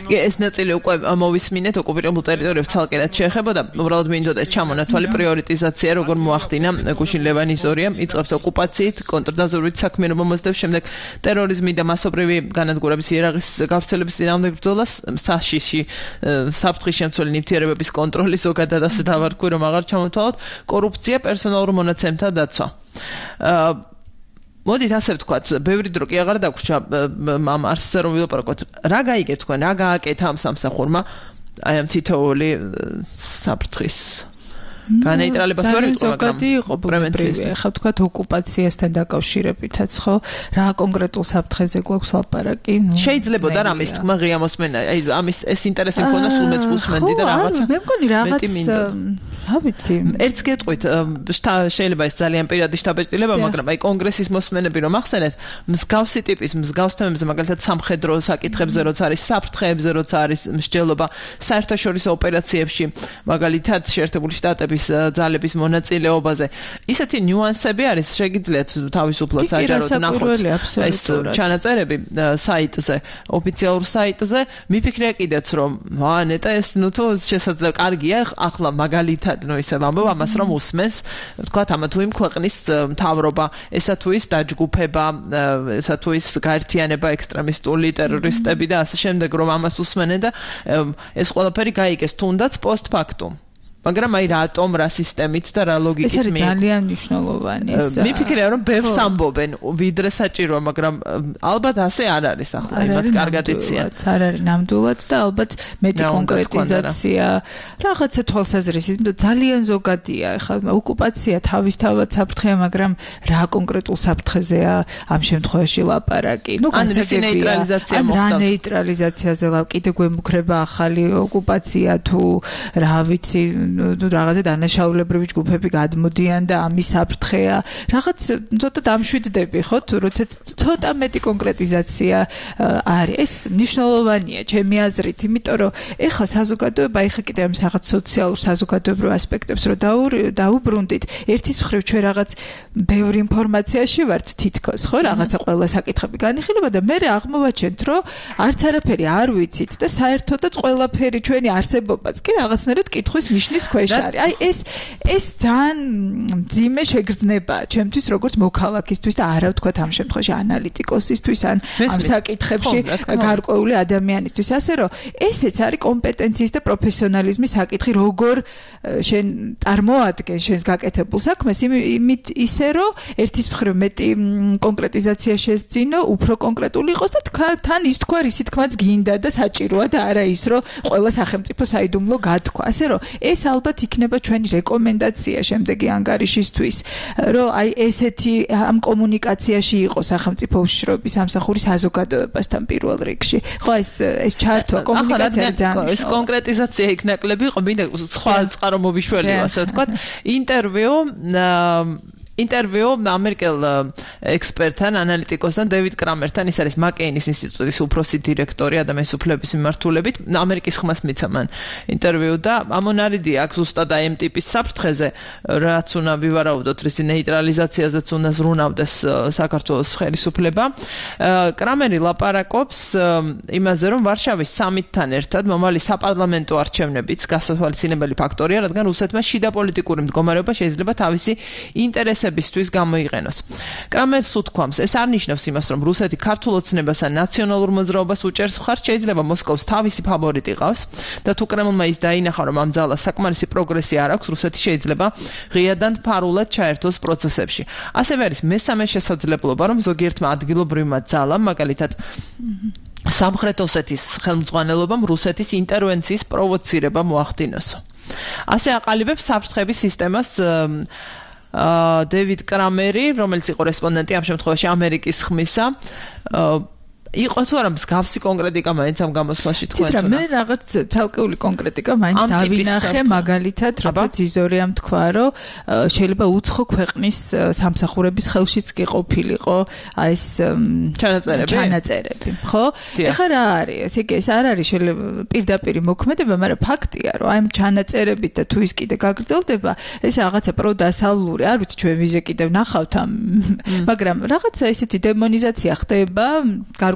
ეს ნაწილი უკვე მოვისმინეთ ოკუპირებულ ტერიტორიებს ცალკე რაც შეეხებოდა, უბრალოდ მინდოდა ჩამონათვალი პრიორიტიზაცია როგორ მოახდინა გუშინ ლევან იზორიამ, იწყებს ოკუპაციით, კონტრდაზვერვით საქმიანობა მოსდევს, შემდეგ ტერორიზმი და მასობრივი განადგურების იარაღის გავრცელების წინააღმდეგ ბრძოლას, საშიში საფრთხის შემცველი ნივთიერებების კონტროლი ზოგადად ასე დავარქვი, რომ აღარ ჩამოთვალოთ, კორუფცია, პერსონალურ მონაცემთა დაცვა. მოდით ასე ვთქვათ, ბევრი დრო კი აღარ დაგვრჩა ამ არსზე რომ ვილაპარაკოთ. რა გაიგეთ თქვენ, რა გააკეთა ამ სამსახურმა აი ამ თითოეული საფრთხის განეიტრალებას ვერ ვიტყვი, მაგრამ პრევენცია. ხა ვთქვათ ოკუპაციასთან დაკავშირებითაც ხო, რა კონკრეტულ საფრთხეზე გვაქვს ლაპარაკი? შეიძლებოდა რამის თქმა ღია მოსმენა, აი ამის ეს ინტერესი მქონდა სულმეც უსმენდი და რაღაცა. მე მგონი რაღაც რა ვიცი. ერთს გეტყვით, შეიძლება ეს ძალიან პირადი შთაბეჭდილება, მაგრამ აი კონგრესის მოსმენები რომ ახსენეთ, მსგავსი ტიპის მსგავს თემებზე, მაგალითად სამხედრო საკითხებზე, როცა არის საფრთხეებზე, როცა არის მსჯელობა საერთაშორისო ოპერაციებში, მაგალითად შეერთებული შტატების ძალების მონაწილეობაზე. ისეთი ნიუანსები არის, შეგიძლიათ თავისუფლად საჯაროდ ნახოთ ეს ჩანაწერები საიტზე, ოფიციალურ საიტზე. მიფიქრია კიდეც რომ ვა ნეტა ეს ნუ თუ შესაძლოა კარგია, ახლა მაგალითად ნუ ისე ვამბობ ამას რომ უსმენს, თქვათ ამა თუ იმ ქვეყნის მთავრობა, ესა თუ ის დაჯგუფება, ესა თუ ის გაერთიანება ექსტრემისტული ტერორისტები და ასე შემდეგ რომ ამას უსმენენ და ეს ყველაფერი გაიგეს თუნდაც პოსტფაქტუმ. მაგრამ აი რატომ რა სისტემით და რა ლოგიკით მე ეს არის ძალიან მნიშვნელოვანი ეს მიფიქრია რომ ბევრს ამბობენ ვიდრე საჭიროა მაგრამ ალბათ ასე არ არის ახლა იმათ კარგად იციან არ არის ნამდვილად და ალბათ მეტი კონკრეტიზაცია რაღაცა თვალსაზრისით ძალიან ზოგადია ახლა ოკუპაცია თავისთავად საფრთხეა მაგრამ რა კონკრეტულ საფრთხეზეა ამ შემთხვევაში ლაპარაკი ნუ განსაკუთრებით რა ნეიტრალიზაციაზე ლავ კიდე გვემუქრება ახალი ოკუპაცია თუ რა ვიცი რაღაცა დანაშაულებრივი ჯგუფები გადმოდიან და ამის საფრთხეა. რაღაც ცოტა დამშვიდდები, ხო? თუ როცა ცოტა მეტი კონკრეტიზაცია არის, ეს მნიშვნელოვანია ჩემი აზრით, იმიტომ რომ ეხლა საზოგადოება ეხლა კიდე ამ რაღაც სოციალურ საზოგადოებრივ ასპექტებს რო დაუბრუნდით, ერთის მხრივ ჩვენ რაღაც ბევრი ინფორმაციაში ვართ თითქოს, ხო? რაღაცა ყველა საკითხები განიხილება და მე აღმოვაჩენთ, რომ არც არაფერი არ ვიცით და საერთოდაც ყველაფერი ჩვენი არსებობაც კი რაღაცნაირად კითხვის ნიშნის ქვეშ არის. აი ეს ეს ძალიან მძიმე შეგრძნებაა ჩემთვის როგორც მოქალაქისთვის და არა ვთქვათ ამ შემთხვევაში ანალიტიკოსისთვის ან ამ საკითხებში გარკვეული ადამიანისთვის. ასე რომ ესეც არის კომპეტენციის და პროფესიონალიზმის საკითხი, როგორ შენ წარმოადგენ შენს გაკეთებულ საქმეს იმით ისე რომ ერთის მხრივ მეტი კონკრეტიზაცია შეძინო, უფრო კონკრეტული იყოს და თან ის თქვა ისი თქმაც გინდა და საჭიროა და არა ის რომ ყველა სახელმწიფო საიდუმლო გათქვა. ასე რომ ეს ალბათ იქნება ჩვენი რეკომენდაცია შემდეგი ანგარიშისთვის, რომ აი ესეთი ამ კომუნიკაციაში იყოს სახელმწიფო უშიშროების სამსახური საზოგადოებასთან პირველ რიგში. ხო ეს ეს ჩართვა კომუნიკაცია ძალიან ეს კონკრეტიზაცია იქნაკლები იყო, მინდა სხვა წყარო მოვიშველიო, ასე ვთქვათ. ინტერვიუ ინტერვიუ ამერიკელ ექსპერტთან, ანალიტიკოსთან დევიდ კრამერთან, ის არის მაკეინის ინსტიტუტის უფროსი დირექტორი ადამიანის უფლებების მიმართულებით, ამერიკის ხმას მიცა მან ინტერვიუ და ამონარიდი აქვს ზუსტად აი ამ ტიპის საფრთხეზე, რაც უნდა ვივარაუდოთ, რის ნეიტრალიზაციაზეც უნდა ზრუნავდეს საქართველოს ხელისუფლება. კრამერი ლაპარაკობს იმაზე, რომ ვარშავის სამიტთან ერთად მომავალი საპარლამენტო არჩევნებიც გასათვალისწინებელი ფაქტორია, რადგან რუსეთმა შიდა პოლიტიკური მდგომარეობა შეიძლება თავისი ინტერესების ბისთვის გამოიყენოს. კრამერს უთქვამს, ეს არ ნიშნავს იმას, რომ რუსეთი ქართულ ოცნებას ან ნაციონალურ მოძრაობას უჭერს მხარს, შეიძლება მოსკოვს თავისი ფავორიტი ყავს და თუ კრემლმა ის დაინახა, რომ ამ ძალას საკმარისი პროგრესი არ აქვს, რუსეთი შეიძლება ღიადან ფარულად ჩაერთოს პროცესებში. ასევე არის მესამე შესაძლებლობა, რომ ზოგიერთმა ადგილობრივმა ძალამ, მაგალითად სამხრეთ ოსეთის ხელმძღვანელობამ რუსეთის ინტერვენციის პროვოცირება მოახდინოსო. ასე აყალიბებს საფრთხების სისტემას დევიდ კრამერი, რომელიც იყო რესპონდენტი ამ შემთხვევაში ამერიკის ხმისა, იყო თუ არა მსგავსი კონკრეტიკა მაინც ამ გამოსვლაში თქვენ თვითონ მე რაღაც თალკეული კონკრეტიკა მაინც დავინახე, მაგალითად როცა ზიზორიამ თქვა, რომ შეიძლება უცხო ქვეყნის სამსახურების ხელშიც კი ყოფილიყო აი ეს ჩანაწერები ჩანაწერები, ხო? ეხლა რა არის? ესე იგი ეს არ არის შეიძლება პირდაპირი მოქმედება, მაგრამ ფაქტია, რომ აი ამ ჩანაწერებით და თუ ის კიდე გაგრძელდება, ეს რაღაცა პროდასავლური, არ ვიცი ჩვენ ვიზე კიდევ ნახავთ ამ, მაგრამ რაღაცა ესეთი დემონიზაცია ხდება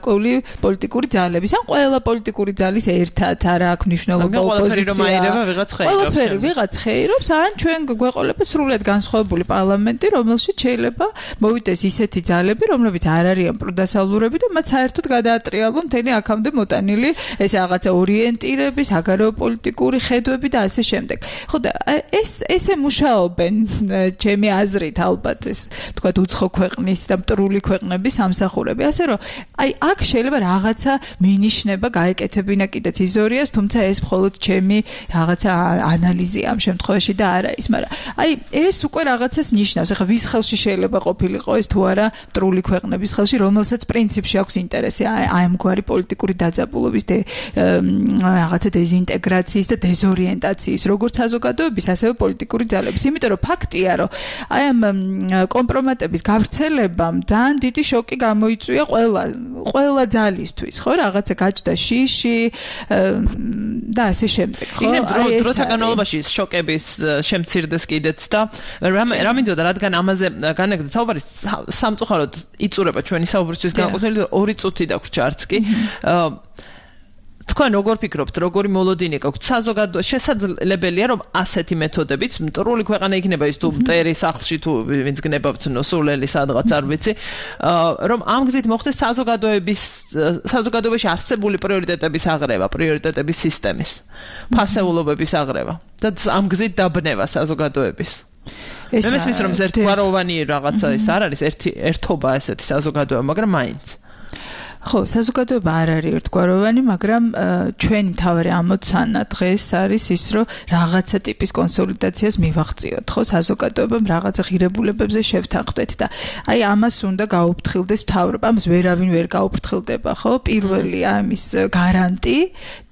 პოლიტიკური ძალების, ან ყველა პოლიტიკური ძალის ერთად არა აქვს მნიშვნელობა ოპოზიცია. ყველაფერი ვიღაც ხეირობს, ან ჩვენ გვეყოლება სრულად განსხვავებული პარლამენტი, რომელშიც შეიძლება მოვიდეს ისეთი ძალები, რომლებიც არ არიან პროდასავლურები და მათ საერთოდ გადაატრიალონ მთელი აქამდე მოტანილი ეს რაღაცა ორიენტირები, საგარეო პოლიტიკური ხედვები და ასე შემდეგ. ხო და ეს ესე მუშაობენ ჩემი აზრით ალბათ ეს თქვა უცხო ქვეყნის და მტრული ქვეყნების სამსახურები. ასე რომ აი აქ შეიძლება რაღაცა მინიშნება გაეკეთებინა კიდეც იზორიას, თუმცა ეს მხოლოდ ჩემი რაღაცა ანალიზია ამ შემთხვევაში და არა ის, მაგრამ აი ეს უკვე რაღაცას ნიშნავს. ახლა ვის ხელში შეიძლება ყოფილიყო ეს თუ არა მტრული ქვეყნების ხელში, რომელსაც პრინციპში აქვს ინტერესი აი ამგვარი პოლიტიკური დაძაბულობის და რაღაცა დეზინტეგრაციის და დეზორიენტაციის, როგორც საზოგადოების, ასევე პოლიტიკური ძალების. იმიტომ რომ ფაქტია, რომ აი ამ კომპრომატების გავრცელებამ ძალიან დიდი შოკი გამოიწვია ყველა ყველა ძალისთვის, ხო, რაღაცა გაჩნდა შიში და ასე შემდეგ, ხო? აი ეს დროთა განმავლობაში შოკების შემცირდეს კიდეც და რა მინდოდა, რადგან ამაზე განაგდა საუბარი სამწუხაროდ იწურება ჩვენი საუბრისთვის განყოფილი ორი წუთი დაგვრჩა არც კი. თქვენ როგორ ფიქრობთ, როგორი მოლოდინი გაქვთ? საზოგადო შესაძლებელია, რომ ასეთი მეთოდებით მტრული ქვეყანა იქნება ის თუ მტერი სახლში თუ ვინც გნებავთ ნოსულელი სადღაც არ ვიცი, რომ ამ გზით მოხდეს საზოგადოების საზოგადოებაში არსებული პრიორიტეტების აღრევა, პრიორიტეტების სისტემის, ფასეულობების აღრევა და ამ გზით დაბნევა საზოგადოების. მე მესმის რომ ერთგვაროვანი რაღაცა ის არ არის, ერთი ერთობა ესეთი საზოგადოება, მაგრამ მაინც ხო, საზოგადოება არ არის ერთგვაროვანი, მაგრამ ჩვენი მთავარი ამოცანა დღეს არის ის, რომ რაღაცა ტიპის კონსოლიდაციას მივაღწიოთ, ხო, საზოგადოებამ რაღაცა ღირებულებებზე შევთანხმდეთ და აი ამას უნდა გაუფრთხილდეს მთავრობა, ამას ვერავინ ვერ გაუფრთხილდება, ხო? პირველი ამის გარანტი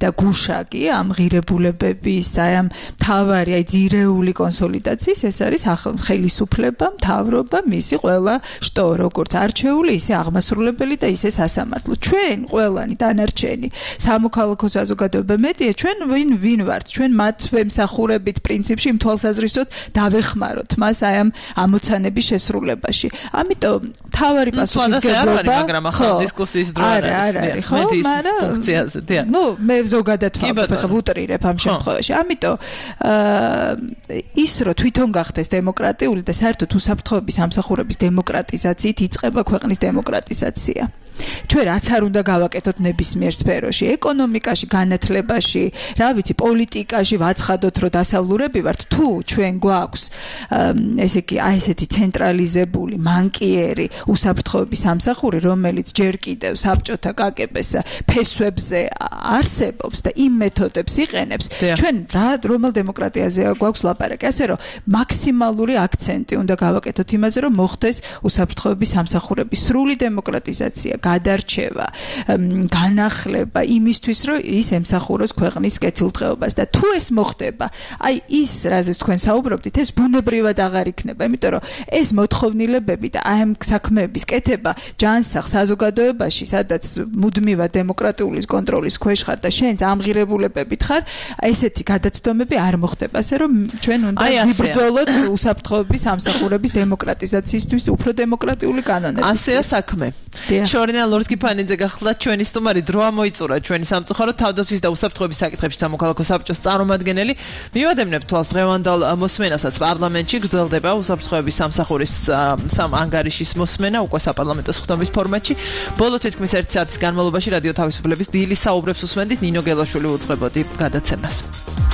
და გუშაგი ამ ღირებულებების აი ამ თავარი აი ძირეული კონსოლიდაციის ეს არის ხელისუფლება, მთავრობა, მისი ყველა შტო, როგორც არჩეული, ისე აღმასრულებელი და ისე სასამართლო. ჩვენ ყველანი დანარჩენი სამოქალაქო საზოგადოება მეტია, ჩვენ ვინ ვინ ვართ? ჩვენ მათ ვემსახურებით პრინციპში იმ თვალსაზრისით დავეხმაროთ მას აი ამ ამოცანების შესრულებაში. ამიტომ თავარი პასუხისმგებლობა, მაგრამ ახლა დისკუსიის დრო არ არის. ხო, მაგრამ ფუნქციაზე, დიახ. ნუ მე ზოგადად ვფიქრობ, ვუტრირებ ამ შემთხვევაში. ამიტომ ის რომ თვითონ გახდეს დემოკრატიული და საერთოდ უსაფრთხოების სამსახურების დემოკრატიზაციით იწყება ქვეყნის დემოკრატიზაცია. ჩვენ რაც არ უნდა გავაკეთოთ ნებისმიერ სფეროში, ეკონომიკაში, განათლებაში, რა ვიცი, პოლიტიკაში ვაცხადოთ, რომ დასავლურები ვართ, თუ ჩვენ გვაქვს ესე იგი აი ესეთი ცენტრალიზებული, მანკიერი უსაფრთხოების სამსახური, რომელიც ჯერ კიდევ საბჭოთა კაკების ფესვებზე არსებობს და იმ მეთოდებს იყენებს, ჩვენ რა რომელ დემოკრატიაზეა გვაქვს ლაპარაკი, ასე რომ მაქსიმალური აქცენტი უნდა გავაკეთოთ იმაზე, რომ მოხდეს უსაფრთხოების სამსახურების სრული დემოკრატიზაცია, გადარჩევა, განახლება იმისთვის, რომ ის ემსახუროს ქვეყნის კეთილდღეობას და თუ ეს მოხდება, აი ის, რაზეც თქვენ საუბრობდით, ეს ბუნებრივად აღარ იქნება, იმიტომ რომ ეს მოთხოვნილებები და აი ამ საქმეების კეთება ჯანსაღ საზოგადოებაში, სადაც მუდმივად დემოკრატიული კონტროლის ქვეშ ხარ და შენ ამღირებულებებით ხარ, ესეთი გადაცდომები არ მოხდება, ასე რომ ჩვენ უნდა ვიბრძოლოთ უსაფრთხოების სამსახურების დემოკრატიზაციისთვის უფრო დემოკრატიული კანონები. ასეა საქმე. შორინა ლორდ-კიფანიძე გახლდათ ჩვენი სტუმარი, დრო ამოიწურა ჩვენი სამწუხაროდ თავდაცვის და უსაფრთხოების საკითხებში სამოქალაქო საბჭოს წარმომადგენელი. მივადევნებთ თვალს დღევანდელ მოსმენასაც პარლამენტში გრძელდება უსაფრთხოების სამსახურის სამ ანგარიშის მოსმენა უკვე საპარლამენტო სხდომის ფორმატში. ბოლო თითქმის ერთი საათის განმავლობაში რადიო თავისუფლების დილის საუბრებს უსმენდით, ნინო გელაშვილი უძღვებოდი გადაცემას.